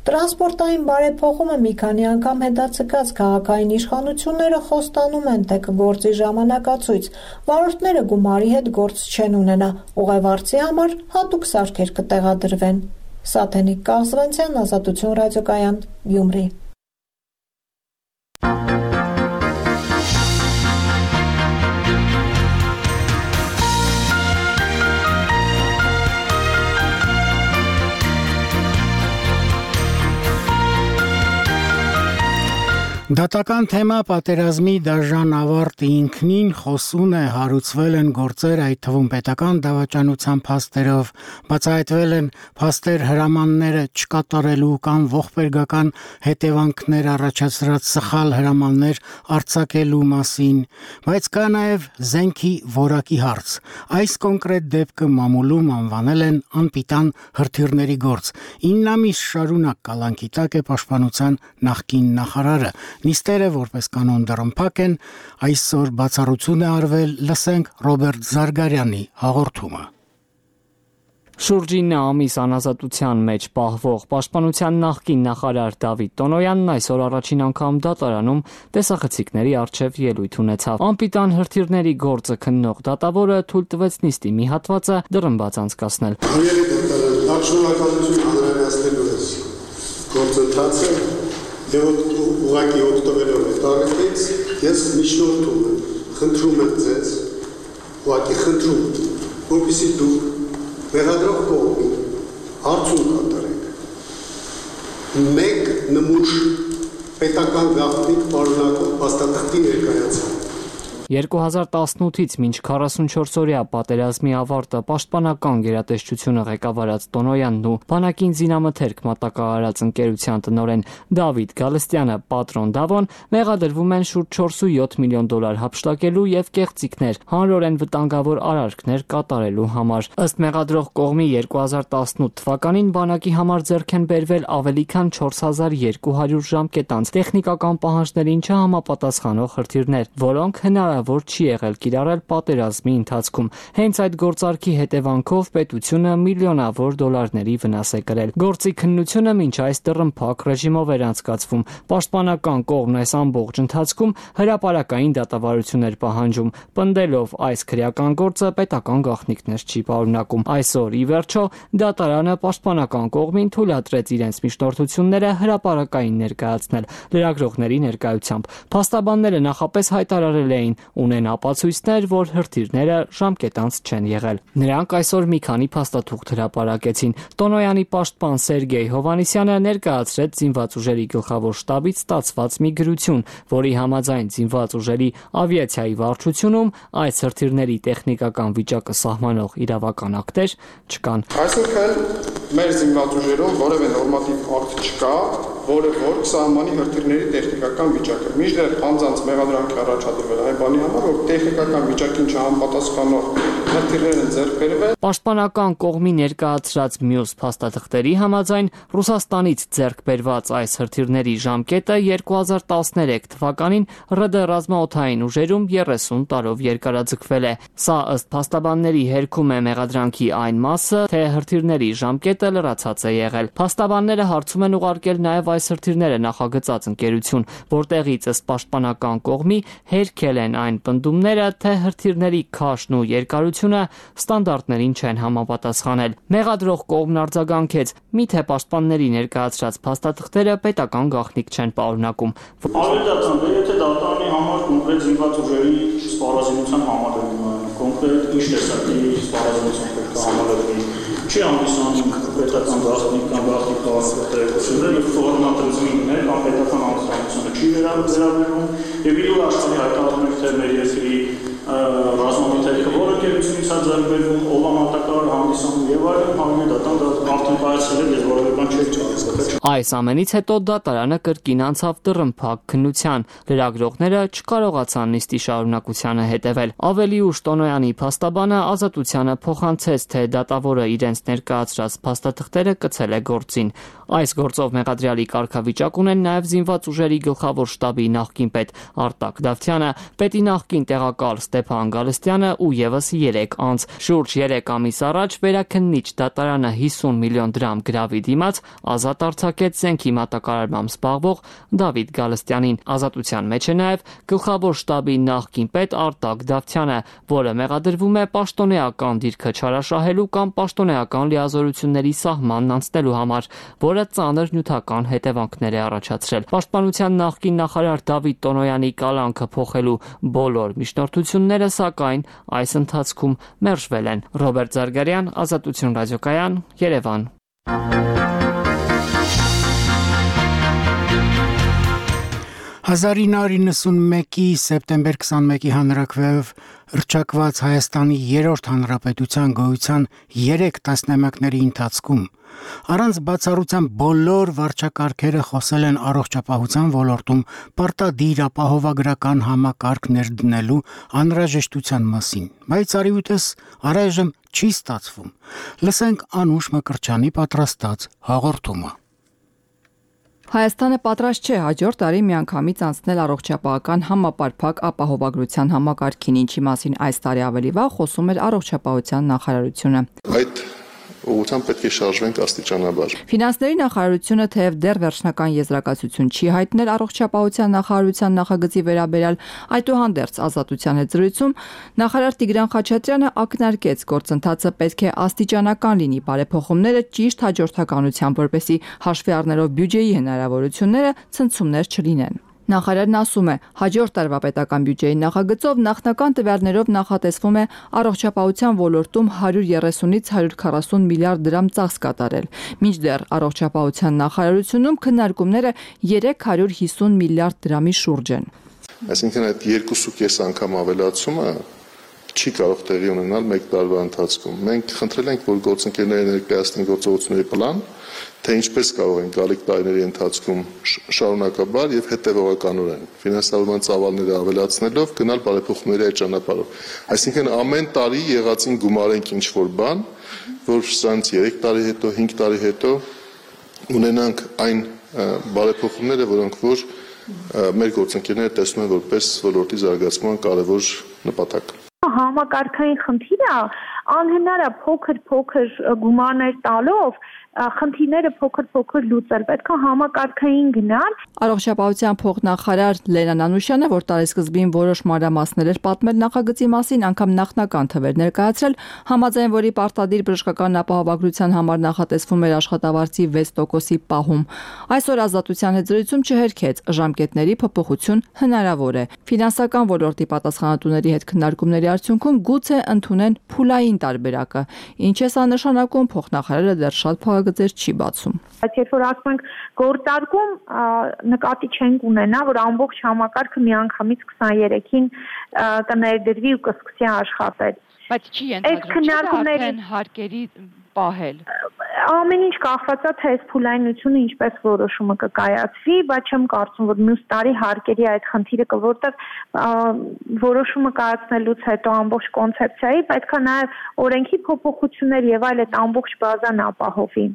Speaker 22: Տրանսպորտային բարեփոխումը մի քանի անգամ հետաձգած քաղաքային իշխանությունները խոստանում են, թե կգործի ժամանակացույց։ Վարորդները գումարի հետ գործ չեն ունենա, ուղևորցի համար հատուկ սարքեր կտեղադրվեն։ Սաթենիկ Կաղզվանցյան, Ազատություն ռադիոկայան, Գյումրի։
Speaker 1: Դատական թեմա պատերազմի դաժան ավարտի ինքնին խոսուն է, հարուցվել են գործեր, այդ թվում պետական դավաճանության փաստերով, բացահայտվել են փաստեր հրամանները չկատարելու կամ ողբերգական հետևանքներ առաջացրած սխալ հրամաններ արձակելու մասին, բայց կա նաև զենքի որակի հարց։ Այս կոնկրետ դեպքը մամուլում անվանել են անպիտան հրթիռների գործ։ 9 ամիս շարունակ կալանքի տակ է պաշտպանության նախկին նախարարը։ Նիստերը որպես կանոն դռնփակ են, այսօր բացառություն է արվել, լսենք Ռոբերտ Զարգարյանի հաղորդումը։
Speaker 3: Շուրջ 9 ամիս անազատության մեջ պահվող պաշտպանության նախկին նախարար Դավիթ Տոնոյանն այսօր առաջին անգամ դատարանում տեսախցիկների առջև ելույթ ունեցավ։ Անպիտան հրթիռների գործը քննող դատավորը թույլ տվեց նիստի մի հատվածը դռնբաց անցկացնել։
Speaker 4: Շնորհակալություն հանրայնացնելու ես գործընթացը եւ ուղղակի օգտվելով այդ առիթից ես միջնորդում եմ, խնդրում եմ ձեզ, ուղղակի խնդրում, որպեսզի դուք մեղադրող կողմի հարցում կատարեք։ Մեկ նմուշ պետական գաղտնիք պարունակող փաստաթղթի ներկայացում։
Speaker 3: 2018-ից մինչ 44-օրյա պատերազմի ավարտը պաշտպանական գերատեսչությունը ղեկավարած Տոնոյանն ու բանակին զինամթերք մատակարարած ընկերության տնօրեն Դավիթ Գալստյանը պատրոն Դավոն մեղադրվում են շուրջ 4.7 միլիոն դոլար հափշտակելու եւ կեղծիքներ, հանրորեն վտանգավոր արարքներ կատարելու համար։ Ըստ մեղադրող կողմի 2018 թվականին բանակի համար ձեռք են բերվել ավելի քան 4200 ժամկետանց տեխնիկական պահանջներին չհամապատասխանող հրթիռներ, որոնք հնարավոր հնարավոր չի եղել կիրառել պատերազմի ընթացքում։ Հենց այդ գործարքի հետևանքով պետությունը միլիոնավոր դոլարների վնաս է կրել։ Գործի քննությունը մինչ այս դռնփակ ռեժիմով էր անցկացվում։ Պաշտպանական կողմն այս ամբողջ ընթացքում հրապարակային դատավարություններ պահանջում, պնդելով այս քրեական գործը պետական գաղտնիքներ չի պարունակում։ Այսօր ի վերջո դատարանը պաշտպանական կողմին թույլատրեց իրենց միջնորդությունները հրապարակային ներկայացնել լրագրողների ներկայությամբ։ Փաստաբանները նախապես հայտարարել էին, ունեն ապացույցներ, որ հրթիռները ժամկետանց չեն եղել։ Նրանք այսօր մի քանի փաստաթուղթ հրապարակեցին։ Տոնոյանի պաշտպան Սերգեյ Հովանիսյանը ներկայացրեց զինված ուժերի գլխավոր շտաբից ստացված մի գրություն, որի համաձայն զինված ուժերի ավիացիայի վարչությունում այս հրթիռների տեխնիկական վիճակը սահմանող իրավական ակտեր չկան։
Speaker 5: Այսինքն մեր զինված ուժերում որևէ նորմատիվ ակտ չկա, որը որ կսահմանի հրթիռների տեխնիկական վիճակը։ Մինչդեռ անձանց մեղադրանք է առաջադրվել այն բանի համար, որ տեխնիկական վիճակին չհամապատասխանող հրթիռներ են ձեռք բերվել։
Speaker 3: Պաշտպանական կողմի ներկայացրած մյուս փաստաթղթերի համաձայն Ռուսաստանից ձեռք բերված այս հրթիռների ժամկետը 2013 թվականին ՌԴ ռազմաօդային ուժերում 30 տարով երկարաձգվել է։ Սա ըստ փաստաբանների հերքում է մեղադրանքի այն մասը, թե հրթիռների ժամկետը լրացած է եղել։ Փաստաբանները հարցում են ուղարկել նաև այս հրթիռները նախագծած ընկերություն, որտեղից ըստ պաշտպանական կողմի հերքել են այն պնդումները, թե հրթիռների քաշն ու երկարությունը ստանդարտներին չեն համապատասխանել։ Մեղադրող կողմն արձագանքեց, միթե պաշտպանների ներկայացրած փաստաթղթերը պետական գաղտնիք չեն պարունակում։
Speaker 6: Ավելացան, եթե դատարանի համար կոնկրետ զինված ուժերի սպառազինության համալրում, կոնկրետ ինչ տեսակի սպառազինություն պետք է համալրվի, չի հանդիսանում պետական գաղտնիք կամ գաղտնիք պարունակությունները, եւ ֆորմատրիզմիններ կամ պետական անձնությունը չի վերաբերվում, եւ իրու աշխարհի հայտարարում է, թե մեր երկրի ռազմամիթերքը որը գերությունից է ձեռբերվում, ով ամատակար հանդիսանում եւ այլն, համենայն դատան դա արդեն կայացրել է, որևէ բան չի ճանաչվել։
Speaker 3: Այս ամենից հետո դատարանը կրկին անցավ դռնփակ քննության։ Լրագրողները չկարողացան նիստի շարունակությանը հետևել։ Ավելի ուշ Տոնոյանի փաստաբանը Ազատությանը փոխանցեց, թե դատավորը իրենց ներկայացրած փաստաթղթերը կցել է գործին։ Այս գործով մեղադրյալի կարգավիճակ ունեն նաև զինված ուժերի գլխավոր շտաբի նախկին պետ Արտակ Դավթյանը, պետի նախկին տեղակալ Ստեփան Գալստյանը ու եւս 3 անձ։ Շուրջ 3 ամիս առաջ վերաքննիչ դատարանը 50 միլիոն դրամ գրավի դիմաց ազատ արձակեց զենքի մատակարարմամբ զբաղվող Դավիթ Գալստյանին։ Ազատության մեջ է նաև գլխավոր շտաբի նախկին պետ Արտակ Դավթյանը, որը մեղադրվում է պաշտոնեական դիրքը չարաշահելու կամ պաշտոնեական լիազորությունների սահմանն անցնելու համար, որը ծանր նյութական հետևանքներ է առաջացրել։ Պաշտպանության նախկին նախարար Դավիթ Տոնոյանի կալանքը փոխելու բոլոր միջնորդությունները, սակայն, այս ընթացքում մերժվել են։ Ռոբերտ Զարգարյան, Ազատություն ռադիոկայան, Երևան։
Speaker 1: 1991-ի սեպտեմբեր 21-ի հանրաքվեով հռչակված Հայաստանի երրորդ հանրապետության գոյության 3 տասնամյակների ընթացքում առանց բացառության բոլոր վարչակարգերը խոսել են առողջապահության ոլորտում պարտադիր ապահովագրական համակարգ ներդնելու անհրաժեշտության մասին, բայց արիուտես առայժմ չի ստացվում։ Լսենք Անուշ Մկրտչյանի պատրաստած հաղորդումը։
Speaker 7: Հայաստանը պատրաստ չէ հաջորդ տարի միանգամից անցնել առողջապահական համապարփակ ապահովագրության համակարգին, ինչի մասին այս տարի ավելի վաղ խոսում էր առողջապահության նախարարությունը։
Speaker 14: Այդ ուղղությամբ պետք է շարժվենք աստիճանաբար։
Speaker 7: Ֆինանսների նախարարությունը թեև դեռ վերջնական եզրակացություն չի հայտնել առողջապահության նախարարության նախագծի վերաբերյալ, այդուհանդերձ Ազատության հետ զրույցում նախարար Տիգրան Խաչատրյանը ակնարկեց, գործընթացը պետք է աստիճանական լինի, բարեփոխումները ճիշտ հաջորդականությամբ, որպեսզի հաշվի առնելով բյուջեի հնարավորությունները ցնցումներ չլինեն։ Նախարարն ասում է, հաջորդ տարվա պետական բյուջեի նախագծով նախնական տվյալներով նախատեսվում է առողջապահության ոլորտում 130-ից 140 միլիարդ դրամ ծախս կատարել։ Մինչդեռ առողջապահության նախարարությունում քննարկումները 350 միլիարդ դրամի շուրջ են։
Speaker 14: Այսինքն այդ 2.5 անգամ ավելացումը չի կարող տեղի ունենալ մեկ տարվա ընթացքում։ Մենք խնդրել ենք, որ գործընկերները ներկայացնեն գործողությունների պլան, թե ինչպես կարող են գալիք տարիների ընթացքում շարունակաբար եւ հետեւողականորեն ֆինանսավորման ծավալները ավելացնելով գնալ բարեփոխումների այդ ճանապարհով։ Այսինքն ամեն տարի եղածին գումարենք ինչ-որ բան, որ սրանց 3 տարի հետո, 5 տարի հետո ունենանք այն բարեփոխումները, որոնք որ մեր գործընկերները տեսնում են որպես ոլորտի զարգացման կարևոր նպատակ։
Speaker 8: Համակարգային խնդիրը անհնար է փոքր գումարներ տալով խնդիրները փոքր լուծել, պետք է համակարգային գնալ։
Speaker 7: Առողջապահության փոխնախարար Լենա Նանուշյանը, որ տարեսկզբին որոշ մանրամասներ էր պատմել նախագծի մասին, անգամ նախնական թվեր ներկայացրել, համաձայն որի պարտադիր բժշկական ապահովագրության համար նախատեսվում էր աշխատավարձի 6%-ի պահում։ Այսօր Ազատության հետ զրույցում չհերքեց, ժամկետների փոփոխություն հնարավոր է։ Ֆինանսական ոլորտի պատասխանատուների հետ քննարկումների արդյունքում գուցե ընդունեն փուլային տարբերակը։ Ինչ է սա նշանակում, փոխնախարարը դեռ շատ փոխագծեր չի բացում։
Speaker 8: Բայց երբ որ ասում ենք գործարկում, նկատի չենք ունենա, որ ամբողջ համակարգը միանգամից 23-ին կներդրվի ու կսկսի աշխատել։
Speaker 7: Բայց չի ենթադրվում արդեն հարկերի պահել։
Speaker 8: Ամեն ինչ կախված է թե այս փուլայնությունը ինչպես որոշումը կկայացվի, բայց չեմ կարծում, որ մյուս տարի հարկերի այդ խնդիրը կա, որտեղ որոշումը կայացնելուց հետո ամբողջ կոնցեպցիայի պետք է նաև օրենքի փոփոխություններ եւ այլ այդ ամբողջ բազան ապահովի։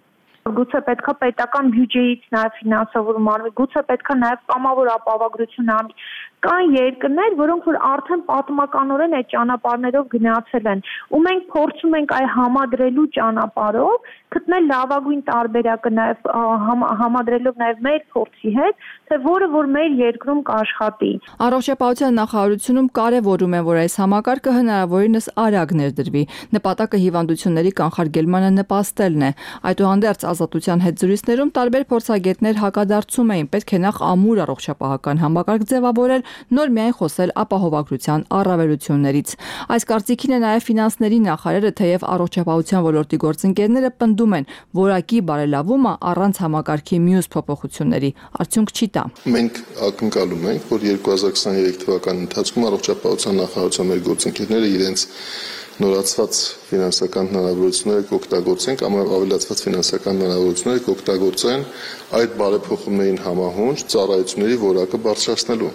Speaker 8: Գուցե պետք է պետական բյուջեից նաև ֆինանսավորում արվի, գուցե պետք է նաև կամավոր ապահովագրություն արվի։ Կան երկրներ, որոնք որ արդեն պատմականորեն այդ ճանապարհներով գնացել են, ու մենք փորձում ենք այ համադրելու ճանապարհով գտնել լավագույն տարբերակը նաև համադրելով նաև մեր փորձի հետ, թե որը որ մեր երկրում կաշխատի։
Speaker 7: Առողջապահության նախարարությունում կարևորում են, որ այս համակարգը հնարավորինս արագ ներդրվի։ Նպատակը հիվանդությունների կանխարգելմանը նպաստելն է։ Այդուհանդերձ Ազատության հետ զրույցներում տարբեր փորձագետներ հակադարձում էին, պետք է նախ ամուր առողջապահական համակարգ ձևավորել, նոր միայն խոսել ապահովագրության առավելություններից։ Այս կարծիքին է նաև ֆինանսների նախարարը, թեև առողջապահության ոլորտի գործընկերները պնդում են, որակի բարելավումը առանց համակարգի մյուս փոփոխությունների արդյունք չի տա։
Speaker 14: Մենք ակնկալում ենք, որ 2023 թվականի ընթացքում առողջապահության նախարարության մեր գործընկերները իրենց նորացված ֆինանսական հնարավորությունները կօգտագործեն կամ ավելացված ֆինանսական հնարավորությունները կօգտագործեն այդ բարեփոխումներին համահունչ ծառայությունների որակը բարձրացնելու։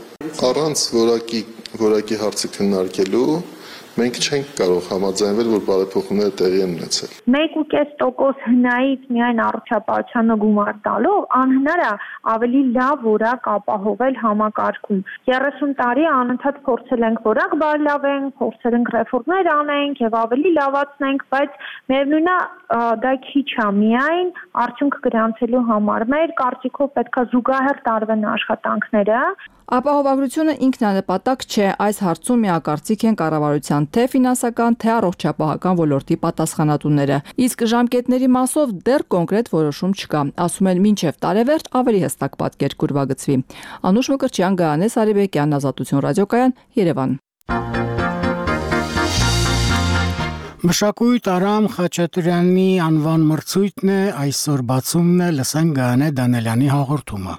Speaker 14: Առանց որակի հարցը քննարկելու մենք չենք կարող համաձայնվել, որ բարեփոխումները տեղի են ունեցել։
Speaker 8: 1.5% հնայից միայն առողջապահությանը գումար տալով անհնար է ավելի լավ որակ ապահովել համակարգում։ 30 տարի անընդհատ փորձել ենք որակ բարելավենք, փորձել ենք ռեֆորմներ անենք եւ ավելի լավացնենք, բայց միևնույնն է դա քիչ է միայն արդյունք գրանցելու համար։ Մեր կարծիքով պետք է զուգահեռ տարվեն աշխատանքները։
Speaker 7: Ապահովագրությունը ինքնանպատակ չէ, այս հարցում միակարծիք են կառավարության թե ֆինանսական, թե առողջապահական ոլորտի պատասխանատուները։ Իսկ ժամկետների մասով դեռ կոնկրետ որոշում չկա։ Ասում են մինչև տարեվերջ ավելի հստակ պատկեր կուրվագծվի։ Անուշ Մկրտչյան, Գայանես Արիբեկյան, Ազատություն ռադիոկայան, Երևան։
Speaker 1: Մշակույթ Արամ Խաչատրյանի անվան մրցույթն է այսօր բացումն է, լսենք Գայանե Դանելյանի հաղորդումը։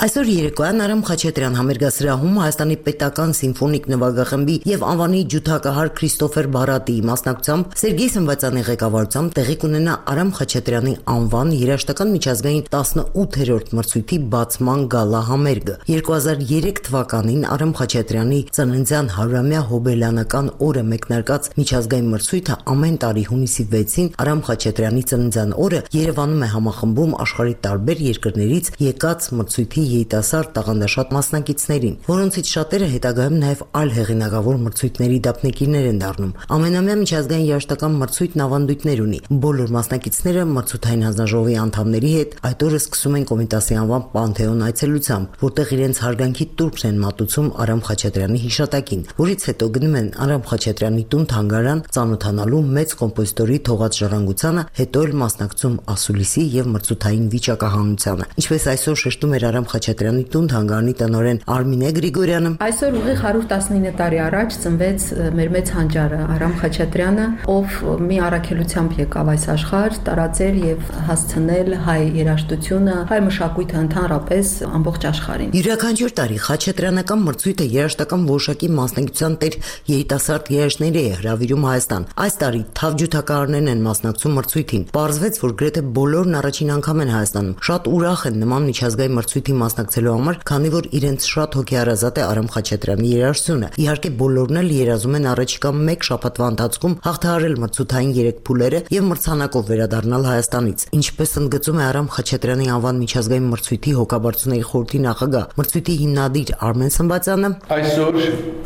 Speaker 9: Այսօր երեկոյան Արամ Խաչատրյան համերգասրահում Հայաստանի պետական սիմֆոնիկ նվագախմբի եւ անվանի ջութակահար Քրիստոֆեր Բարատիի մասնակցությամբ Սերգեյ Սմբացյանի ղեկավարությամբ տեղի կունենա Արամ Խաչատրյանի անվան երաժշտական միջազգային 18-րդ մրցույթի բացման գալա համերգը։ 2003 թվականին Արամ Խաչատրյանի ծննդյան 100-ամյա հոբելյանական օրը մեկնարկած միջազգային մրցույթը ամեն տարի հունիսի 6-ին Արամ Խաչատրյանի ծննդյան օրը Երևանում է համախմբում աշխարհի տարբեր երկրներից եկած մրցույթի երիտասարդ տաղանդաշատ մասնակիցներին, որոնցից շատերը հետագայում նաև այլ հեղինակավոր մրցույթների դափնեկիրներ են դառնում։ Ամենամյա միջազգային երաժշտական մրցույթն ավանդույթներ ունի։ Բոլոր մասնակիցները մրցութային հանձնաժողովի անդամների հետ այդ օրը սկսում են Կոմիտասի անվան Պանթեոն այցելությամբ, որտեղ իրենց հարգանքի տուրքն են մատուցում Արամ Խաչատրյանի հիշատակին, որից հետո գնում են Արամ Խաչատրյանի տուն-թանգարան ծանոթանալու մեծ կոմպոզիտորի թողած ժառանգությանը, հետո էլ մասնակցում ասուլիսի եւ մրցութային վիճակահանությանը։ Ինչպես այսօր շեշտում էր Արամ Խաչատրյանի տուն-թանգարանի տնօրեն Արմինե Գրիգորյանը,
Speaker 10: այսօր ուղիղ 119 տարի առաջ ծնվեց մեր մեծ հանճարը Արամ Խաչատրյանը, ով մի առաքելությամբ եկավ այս աշխարհ, տարածել եւ հասցնել հայ երաժշտությունը, հայ մշակույթը ընդհանրապես ամբողջ աշխարհին։
Speaker 9: Յուրաքանչյուր տարի Խաչատրյանական մրցույթը երաժշտական որոշակի մասնակցության տեր երիտասարդ երաժշտների է հրավիրում Հայաստան։ Այս տարի թավջութակահարներն են մասնակցում մրցույթին։ Պարզվեց, որ գրեթե բոլորն առաջին անգամ են Հայաստանում։ Շատ ուրախ են նման միջազգային մրցույթի մասնակցելու համար, քանի որ իրենց շատ հոգեհարազատ է Արամ Խաչատրյանի երաժշտությունը։ Իհարկե բոլորն էլ երազում են առաջիկա 1 շաբաթվա ընթացքում հաղթահարել մրցութային 3 փուլերը եւ մրցանակով վերադառնալ Հայաստանից։ Ինչպես ընդգծում է Արամ Խաչատրյանի անվան միջազգային մրցույթի հոգաբարձուների խորհրդի նախագահ, մրցույթի հիմնադիր Արմեն Սմբացյանը,
Speaker 11: այսօր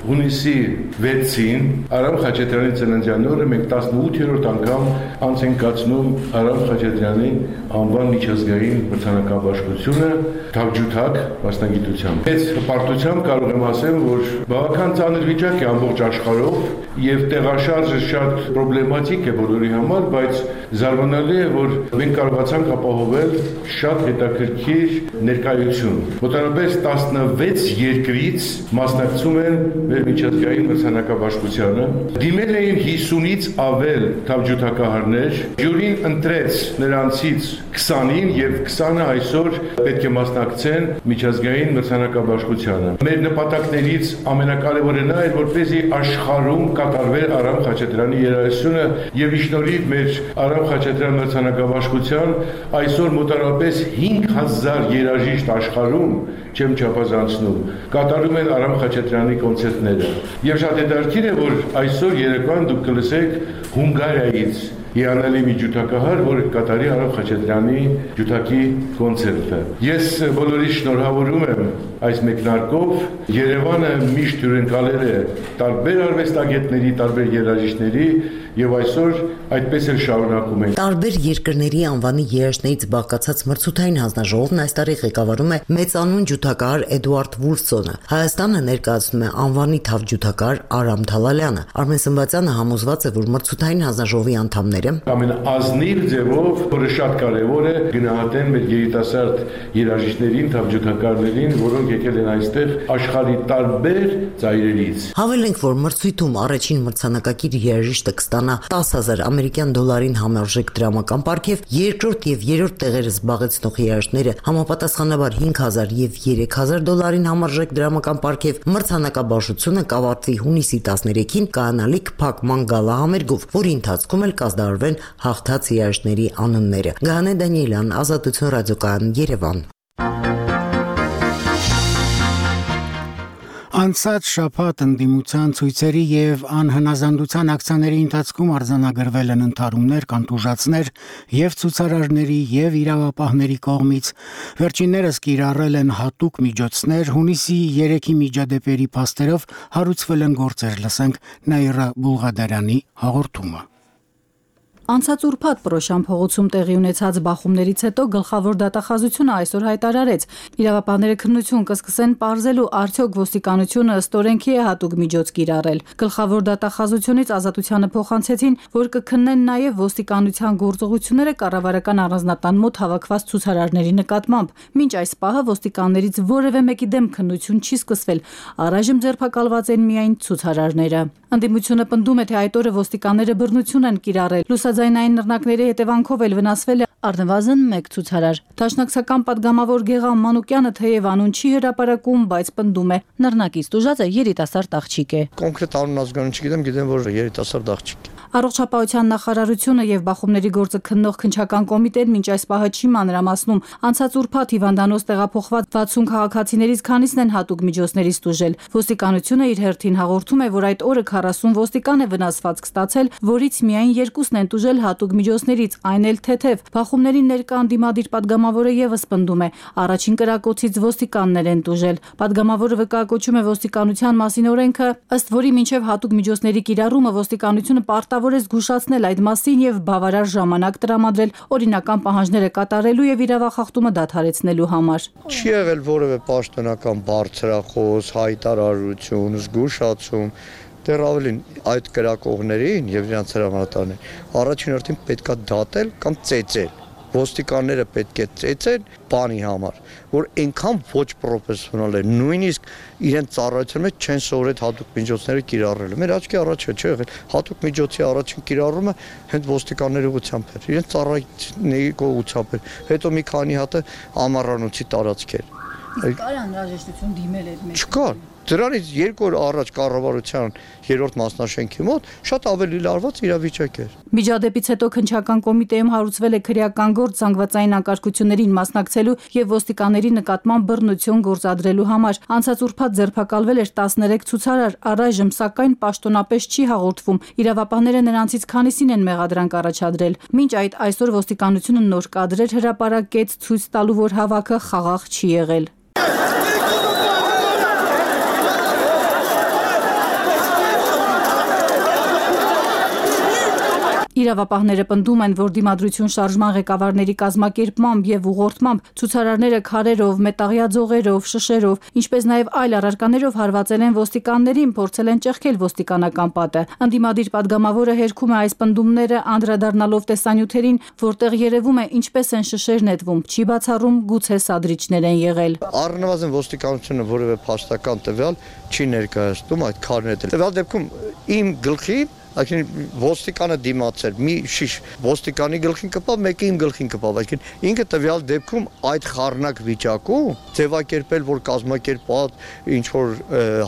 Speaker 11: հունիսի 6-ին Արամ Խաչատրյանի ծննդյան օրը մենք 18-րդ անգամ անց ենք կացնում Արամ Խաչատրյանի անվան միջազգային մրցանակաբաշխությունը թավջութակ մասնագիտությամբ։ Այս հպարտությամբ կարող եմ ասել, որ բավական ծանր վիճակ է ամբողջ աշխարհով եւ տեղաշարժը շատ պրոբլեմատիկ է բոլորի համար, բայց զարմանալի է, որ մենք կարողացանք ապահովել շատ հետաքրքիր ներկայություն։ Մոտավորապես 16 երկրից մասնակցում են մեր միջազգային մրցանակաբաշխությանը։ Դիմել էին 50-ից ավել թավջութակահարներ, ժյուրին ընտրեց նրանցից 20-ին եւ 20-ը այսօր պետք է մասնակցեն միջազգային մրցանակաբաշխությանը։ Մեր նպատակներից ամենակարևորը նա էր, որպեսզի աշխարհում կատարվեր Արամ Խաչատրյանի երաժշտությունը եւ իշնորհիվ մեր Արամ Խաչատրյան մրցանակաբաշխության այսօր մոտավորապես 5000 երաժիշտ աշխարհում չեմ չափազանցնում կատարում են Արամ Խաչատրյանի կոնցերտները։ Եվ շատ հետաքրքիր է, որ այսօր երեկոյան դուք կլսեք Հունգարիայից հիանալի մի ջութակահար, որը կատարի Արամ Խաչատրյանի ջութակի կոնցերտը։ Ես բոլորի շնորհավորում եմ այս մեկնարկով։ Երևանը միշտ հյուրընկալել է տարբեր արվեստագետների, տարբեր երաժիշտների եւ այսօր այդպես էլ շարունակում ենք։
Speaker 9: Տարբեր երկրների անվանի երաժշտներից բաղկացած մրցութային հանձնաժողովն այս տարի ղեկավարում է մեծանուն ջութակահար Էդուարդ Վուլսոնը։ Հայաստանը ներկայացնում է անվանի թավջութակահար Արամ Թալալյանը։ Արմեն Սմբացյանը համոզված է, որ մրցութային հանձնաժողովի անդամները
Speaker 11: ամենաազնիվ ձևով, որը շատ կարևոր է, գնահատեն մեր երիտասարդ երաժիշտներին, թավջութակահարներին, որոնք եկել են այստեղ աշխարհի տարբեր ծայրերից։
Speaker 9: Հավելենք, որ մրցույթում առաջին մրցանակակիր երաժիշտը կստանա 10,000 ամերիկյան դոլարին համարժեք դրամական պարգև, երկրորդ եւ երրորդ տեղերը զբաղեցնող երաժիշտները համապատասխանաբար 5,000 եւ 3,000 դոլարին համարժեք դրամական պարգև։ Մրցանակաբաշխությունը կավարտվի հունիսի 13-ին կանալիք փակման գալա համերգով, որի ընթացքում էլ կազդարվեն հաղթած երաժիշտների անունները։ Գանե Դանիելյան, Ազատություն ռադիոկայան, Երևան։
Speaker 1: Անցած շաբաթ ընդդիմության ցույցերի եւ անհնազանդության ակցիաների ընթացքում արձանագրվել են ընդհարումներ, կանտուժացներ եւ ցուցարարների եւ իրավապահների կողմից։ Վերջիններս կիրառել են հատուկ միջոցներ, հունիսի 3-ի միջադեպերի փաստերով հարուցվել են գործեր, լսենք Նաիրա Բուլղադարյանի հաղորդումը։
Speaker 12: Անցած ուրբաթ Պրոշան փողոցում տեղի ունեցած բախումներից հետո գլխավոր դատախազությունը այսօր հայտարարեց. իրավապահները քննություն կսկսեն պարզելու արդյոք ոստիկանությունը ըստ օրենքի է հատուկ միջոց կիրառել։ Գլխավոր դատախազությունից ազատությանը փոխանցեցին, որ կքննեն նաև ոստիկանության գործողությունները կառավարական առանձնատան մոտ հավաքված ցուցարարների նկատմամբ։ Մինչ այս պահը ոստիկաններից որևէ մեկի դեմ քննություն չի սկսվել, առայժմ ձերբակալված են միայն ցուցարարները։ Ընդդիմությունը պնդում է, թե այդ օրը ոստիկանները բռնություն են կիրառել։ Լուսաձայնային նռնակների հետևանքով էլ վնասվել է առնվազն 1 ցուցարար։ Դաշնակցական պատգամավոր Գեղամ Մանուկյանը թեև անուն չի հրապարակում, բայց պնդում է, նռնակից տուժածը երիտասարդ աղջիկ է։
Speaker 13: Կոնկրետ անուն ազգանուն չգիտեմ, գիտեմ, որ երիտասարդ աղջիկ է։
Speaker 12: Առողջապահության նախարարությունը եւ բախումների գործը քննող քննչական կոմիտեն մինչ այս պահը չի մանրամասնում։ Անցած ուրբաթ հիվանդանոց տեղափոխված 60 քաղաքացիներից քանիսն են հատուկ միջոցներից տուժել։ Ոստիկանությունը իր հերթին հաղորդում է, որ այդ օրը 40 ոստիկան է վնասվածք ստացել, որից միայն 2-ն են տուժել հատուկ միջոցներից, այն էլ թեթև։ Բախումներին ներկա անդիմադիր պատգամավորը եւս պնդում է, առաջին կրակոցից ոստիկաններ են տուժել։ Պատգամավորը վկայակոչում է ոստիկանության մասին օրենքը, ըստ որի մինչև հատուկ միջոցների կիրառումը ոստիկանությունը պարտավոր է զգուշացնել այդ մասին եւ բավարար ժամանակ տրամադրել օրինական պահանջները կատարելու եւ իրավախախտումը դադարեցնելու համար։
Speaker 13: Չի եղել որևէ պաշտոնական բարձրախոս, հայտարարություն, զգուշացում։ Դեռ ավելին այդ կրակողներին եւ իրենց հրամանատարներին առաջին հերթին պետքա դատել կամ ծեծել։ Ոստիկանները պետք է ծեծեն բանի համար, որ այնքան ոչ պրոֆեսիոնալ է, նույնիսկ իրենց ծառայության մեջ չեն սովորել հատուկ միջոցները կիրառել։ Մեր աչքի առաջ չէ եղել հատուկ միջոցի առաջին կիրառումը հենց ոստիկանների ուղղությամբ էր, իրենց ծառայությունների կողմությամբ էր։ Հետո մի քանի հատ ամառանոցի տարածքեր։
Speaker 12: Կար անհրաժեշտություն դիմել այդ մեջ։
Speaker 13: Չկար։ Դրանից 2 օր առաջ կառավարության 3-րդ մասնաշենքի մոտ շատ ավելի լարված իրավիճակ էր։
Speaker 12: Միջադեպից հետո քննչական կոմիտեում հարուցվել է քրեական գործ զանգվածային անկարգություններին մասնակցելու եւ ոստիկանների նկատմամբ բռնություն գործադրելու համար։ Անցած ուրբաթ ձերբակալվել էր 13 ցուցարար, առայժմ սակայն պաշտոնապես չի հաղորդվում։ Իրավապահները նրանցից քանիսին են մեղադրանք առաջադրել։ Մինչ այդ այսօր ոստիկանությունը նոր կադրեր հրապարակեց ցույց տալու, որ հավաքը խաղաղ չի եղել։ Իրավապահները պնդում են, որ դիմադրություն շարժման ղեկավարների կազմակերպմամբ եւ ուղղորդմամբ ցուցարարները քարերով, մետաղյա ձողերով, շշերով, ինչպես նաեւ այլ առարկաներով հարվածել են ոստիկաններին, փորձել են ճեղքել ոստիկանական պատը։ Ընդդիմադիր падգամավորը հերքում է այս պնդումները, անդրադառնալով տեսանյութերին, որտեղ երևում է ինչպես են շշեր նետվում, չի բացառում գուցե սադրիչներ են եղել։
Speaker 13: Առնվազն ոստիկանությունը որևէ փաստական տվյալ չի ներկայացնում այդ քարները։ Տվյալ դեպքում իմ գլխին այսինքն ոստիկանը դիմացել մի շիշ ոստիկանի գլխին կպավ, մեկը իմ գլխին կպավ, այսինքն ինքը տվյալ դեպքում այդ խառնակ վիճակում ձևակերպել, որ կազմակերպած ինչ որ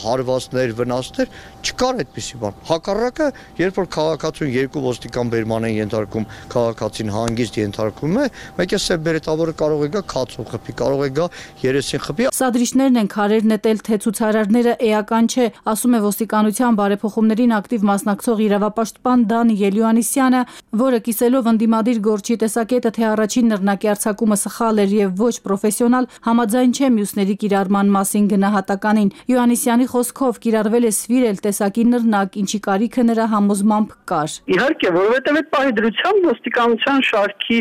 Speaker 13: հարվածներ, վնասներ չկար այդպիսի բան։ Հակառակը, երբ որ քաղաքացուն 2 ոստիկան բերման են ենթարկում, քաղաքացին հանգիստ ենթարկում է, մեկը սև բերետավորը կարող է գա քացով խփի, կարող է գա երեսին խփի։
Speaker 12: Սադրիչներն են քարեր նետել, թե ցուցարարները էական չէ, ասում է ոստիկանության բարեփոխումներին ակտիվ մասնակցող իրավապաշտպան Դանիել Յոհաննիսյանը, որը կիսելով ընդդիմադիր գործի տեսակետը, թե առաջին նռնակի արձակումը սխալ էր եւ ոչ պրոֆեսիոնալ, համաձայն չէ մյուսների կիրառման մասին գնահատականին։ Յոհաննիսյանի խոսքով կիրառվել է սվիրել տեսակի նռնակ, ինչի կարիքը նրա համոզմամբ կար։
Speaker 15: Իհարկե, որովհետեւ այդ պահի դրությամբ ոստիկանության շարքի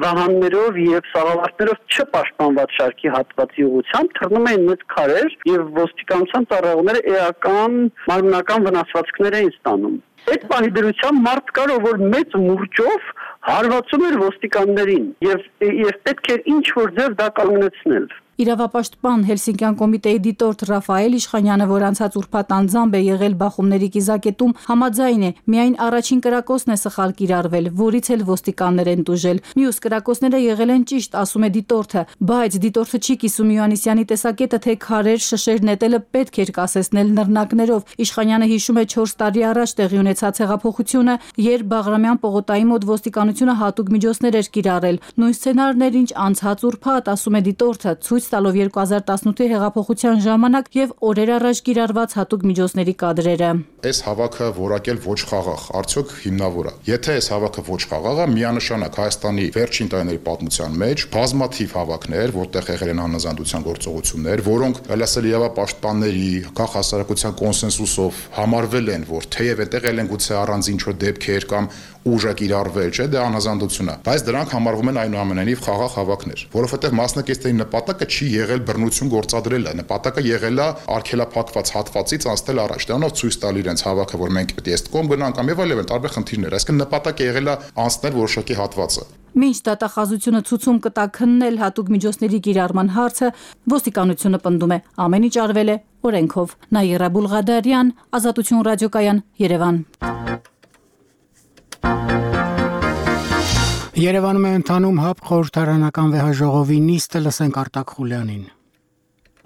Speaker 15: վահաններով եւ սաղավարտներով չպաշտպանված շարքի հատվածի ուղղությամբ թռնում էին մեծ քարեր եւ ոստիկանության ծառայողները էական մարմնական վնասվածքներ էին ստանում։ Այդ պահի դրությամբ մարդ կար, որ մեծ մուրճով հարվածում էր ոստիկաններին եւ պետք էր ինչ որ ձև դա կանգնեցնել։
Speaker 12: Իրավապաշտպան Հելսինկյան կոմիտեի դիտորդ Ռաֆայել Իշխանյանը, որ անցած ուրբաթ անձամբ է եղել բախումների կիզակետում, համաձայն է, միայն առաջին կրակոցն է սխալ կիրառվել, որից էլ ոստիկաններ են տուժել։ Մյուս կրակոցները եղել են ճիշտ, ասում է դիտորդը, բայց դիտորդը չի կիսում Յոհաննիսյանի տեսակետը, թե քարեր, շշեր նետելը պետք էր կասեցնել նռնակներով։ Իշխանյանը հիշում է 4 տարի առաջ տեղի ունեցած հեղափոխությունը, երբ Բաղրամյան պողոտայի մոտ ոստիկանությունը հատուկ միջոցներ էր կիրառել։ Նույն սցենարն էր, ինչ անցած ուրբաթ, ասում է դիտորդը, ցույց տալով 2018-ի հեղափոխության ժամանակ եւ օրեր առաջ կիրառված հատուկ միջոցների կադրերը։
Speaker 17: Այս հավաքը որակել ոչ խաղաղ, արդյոք հիմնավոր է։ Եթե այս հավաքը ոչ խաղաղ է, միանշանակ Հայաստանի վերջին տարիների պատմության մեջ բազմաթիվ հավաքներ, որտեղ եղել են անհնազանդության գործողություններ, որոնք լսել իրավապաշտպանների, քաղաքասարակության կոնսենսուսով համարվել են, որ թեև այդտեղ են գուցե առանց ինչ-որ դեպքեր կամ ուժը կիրառվել, չէ, դա անհնազանդություն է, բայց դրանք համարվում են այնուամենայնիվ խաղաղ հավաքներ, որովհետև մասնակիցների նպատակը չի եղել բռնություն գործադրելը, նպատակը եղել է արգելափակված հատվածից անցնել առաջ, դրանով ցույց տալ իրենց հավաքը, որ մենք պետք է ըստ կողմ գնանք կամ եւ այլն, տարբեր խնդիրներ, այսինքն նպատակը եղել է անցնել որոշակի հատվածը։
Speaker 12: Մինչ դատախազությունը ցուցում կտա քննել հատուկ միջոցների կիրառման հարցը, ոստիկանությունը պնդում է, ամեն ինչ արվել է օրենքով։ Նաիրա Բուլղադարյան, Ազատություն ռադիոկայան, Երևան։
Speaker 1: Երևանում է ընթանում ՀԱՊ խորհրդարանական վեհաժողովի նիստը, լսենք Արտակ Խուլյանին։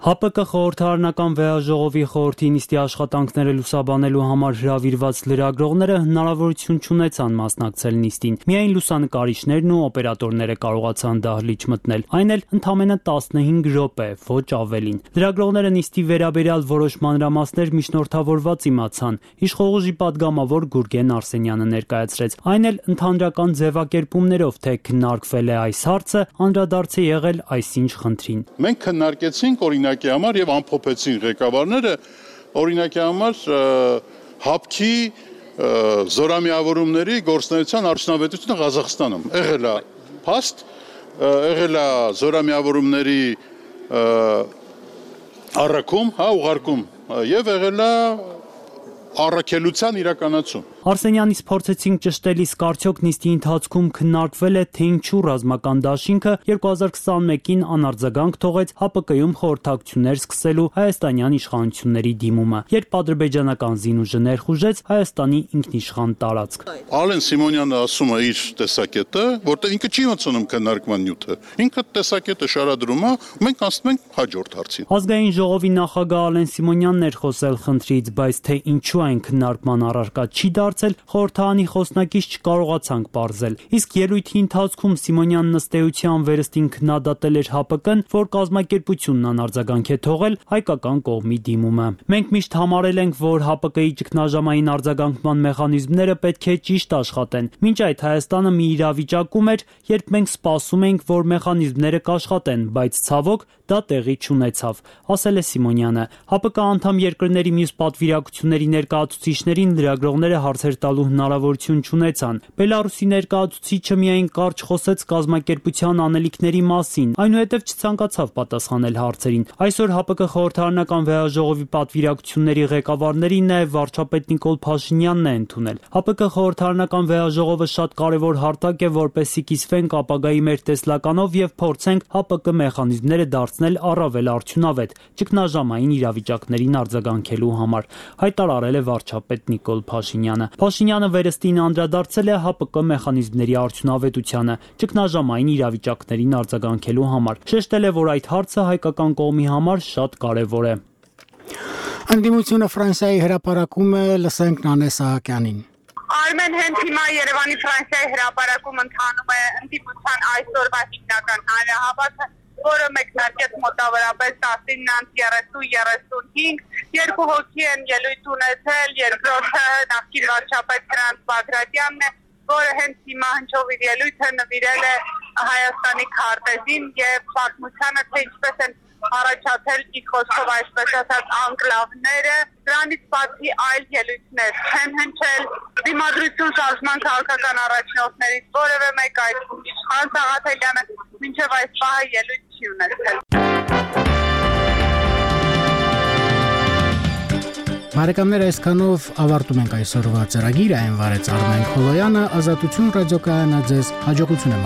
Speaker 18: ՀԱՊԿ խորհրդարանական վեհաժողովի խորհրդի նիստի աշխատանքները լուսաբանելու համար հրավիրված լրագրողները հնարավորություն չունեցան մասնակցել նիստին։ Միայն լուսանկարիչներն ու օպերատորները կարողացան դահլիճ մտնել, այն էլ ընդամենը 15 րոպե, ոչ ավելին։ Լրագրողները նիստի վերաբերյալ որոշ մանրամասներ միջնորդավորված իմացան, իշխողուժի падգամավոր Գուրգեն Արսենյանը ներկայացրեց, այն էլ ընդհանրական ձևակերպումներով, թե քննարկվել է այս հարցը, անդրադարձ է եղել այսինչ խնդրին։
Speaker 19: Մենք քննարկեցինք օրինակի համար եւ ամփոփեցին ղեկավարները օրինակի համար ՀԱՊԿ-ի զորամիավորումների գործնական արդյունավետությունը Ղազախստանում եղել է փաստ, եղել է զորամիավորումների առաքում, ուղարկում եւ եղել է առաքելության իրականացում։
Speaker 18: Արսենյանից փորձեցինք ճշտելիս կարծոք նիստի ընթացքում քննարկվել է, թե ինչու ռազմական դաշինքը 2021-ին անարձագանք թողեց ՀԱՊԿ-ում խորհրդակցություններ սկսելու հայաստանյան իշխանությունների դիմումը, երբ ադրբեջանական զինուժը ներխուժեց Հայաստանի ինքնիշխան տարածք։
Speaker 19: Ալեն Սիմոնյանը ասում է իր տեսակետը, որտեղ ինքը չի մտցնում քննարկման նյութը։ Ինքը տեսակետը շարադրում է, մենք ասում ենք հաջորդ հարցին։
Speaker 18: Ազգային ժողովի նախագահ Ալեն Սիմոնյանն էր խոսել խնդրից, բայց թե ինչու այն քննարկման առարկա չի դարձել, խորհրդարանի խոսնակից չկարողացանք պարզել։ Իսկ ելույթի ընթացքում Սիմոնյանն ըստ էության վերստին քննադատել էր ՀԱՊԿ-ն, որ կազմակերպությունն անարձագանք է թողել հայկական կողմի դիմումը։ Մենք միշտ համարել ենք, որ ՀԱՊԿ-ի ճգնաժամային արձագանքման մեխանիզմները պետք է ճիշտ աշխատեն։ Մինչ այդ Հայաստանը մի իրավիճակում էր, երբ մենք սպասում էինք, որ մեխանիզմները կաշխատեն, բայց ցավոք դա տեղի չունեցավ, ասել է Սիմոնյանը։ ՀԱՊԿ անդամ երկրների մյուս պատվիրակությունների ներկայացուցիչներին լրագրողները հարցեր տալու հնարավորություն չունեցան։ Բելարուսի ներկայացուցիչը միայն կարճ խոսեց կազմակերպության անելիքների մասին, այնուհետև չցանկացավ պատասխանել հարցերին։ Այսօր ՀԱՊԿ խորհրդարանական վեհաժողովի պատվիրակությունների ղեկավարներին նաև վարչապետ Նիկոլ Փաշինյանն է ընդունել։ ՀԱՊԿ խորհրդարանական վեհաժողովը շատ կարևոր հարթակ է, որպեսզի կիսվենք ապագայի մեր տեսլականով եւ փորձենք ՀԱՊԿ մեխանիզմները դարձնել առավել արդյունավետ ճգնաժամային իրավիճակներին արձագանքելու համար, հայտարարել է վարչապետ Նիկոլ Փաշինյանը։ Փաշինյանը վերստին անդրադարձել է ՀԱՊԿ մեխանիզմների արդյունավետությանը ճգնաժամային իրավիճակներին արձագանքելու համար։ Շեշտել է, որ այդ հարցը հայկական կողմի համար շատ կարևոր է։
Speaker 1: Անդիմությունը Ֆրանսիայի հրապարակում է, լսենք Նանե Սահակյանին։
Speaker 16: Արմեն, հենց հիմա Երևանի Ֆրանսիայի հրապարակում ընթանում է ընդդիմության այսօրվա հիմնական հանրահավաքը, որը մեկնարկեց մոտավորապես 19:30-35, երկու հոգի են ելույթ ունեցել, երկրորդը նախկին վարչապետ Ֆրանց Բագրատյանն է, որը հենց հիմա հնչող իր ելույթը նվիրել է Հայաստանի քարտեզին եւ պատմությանը, թե ինչպես են առաջացել իր խոսքով այսպես ասած անկլավները, դրանից բացի այլ ելույթներ չեն հնչել դիմադրություն շարժման քաղաքական առաջնորդներից որևէ մեկ այդքում իշխան Սաղաթելյանը մինչև այս պահը ելույթ չի ունեցել։
Speaker 1: Բարեկամներ, այսքանով ավարտում ենք այսօրվա ծրագիրը, այն վարեց Արմեն Խոլոյանը, Ազատություն ռադիոկայանը ձեզ հաջողություն եմ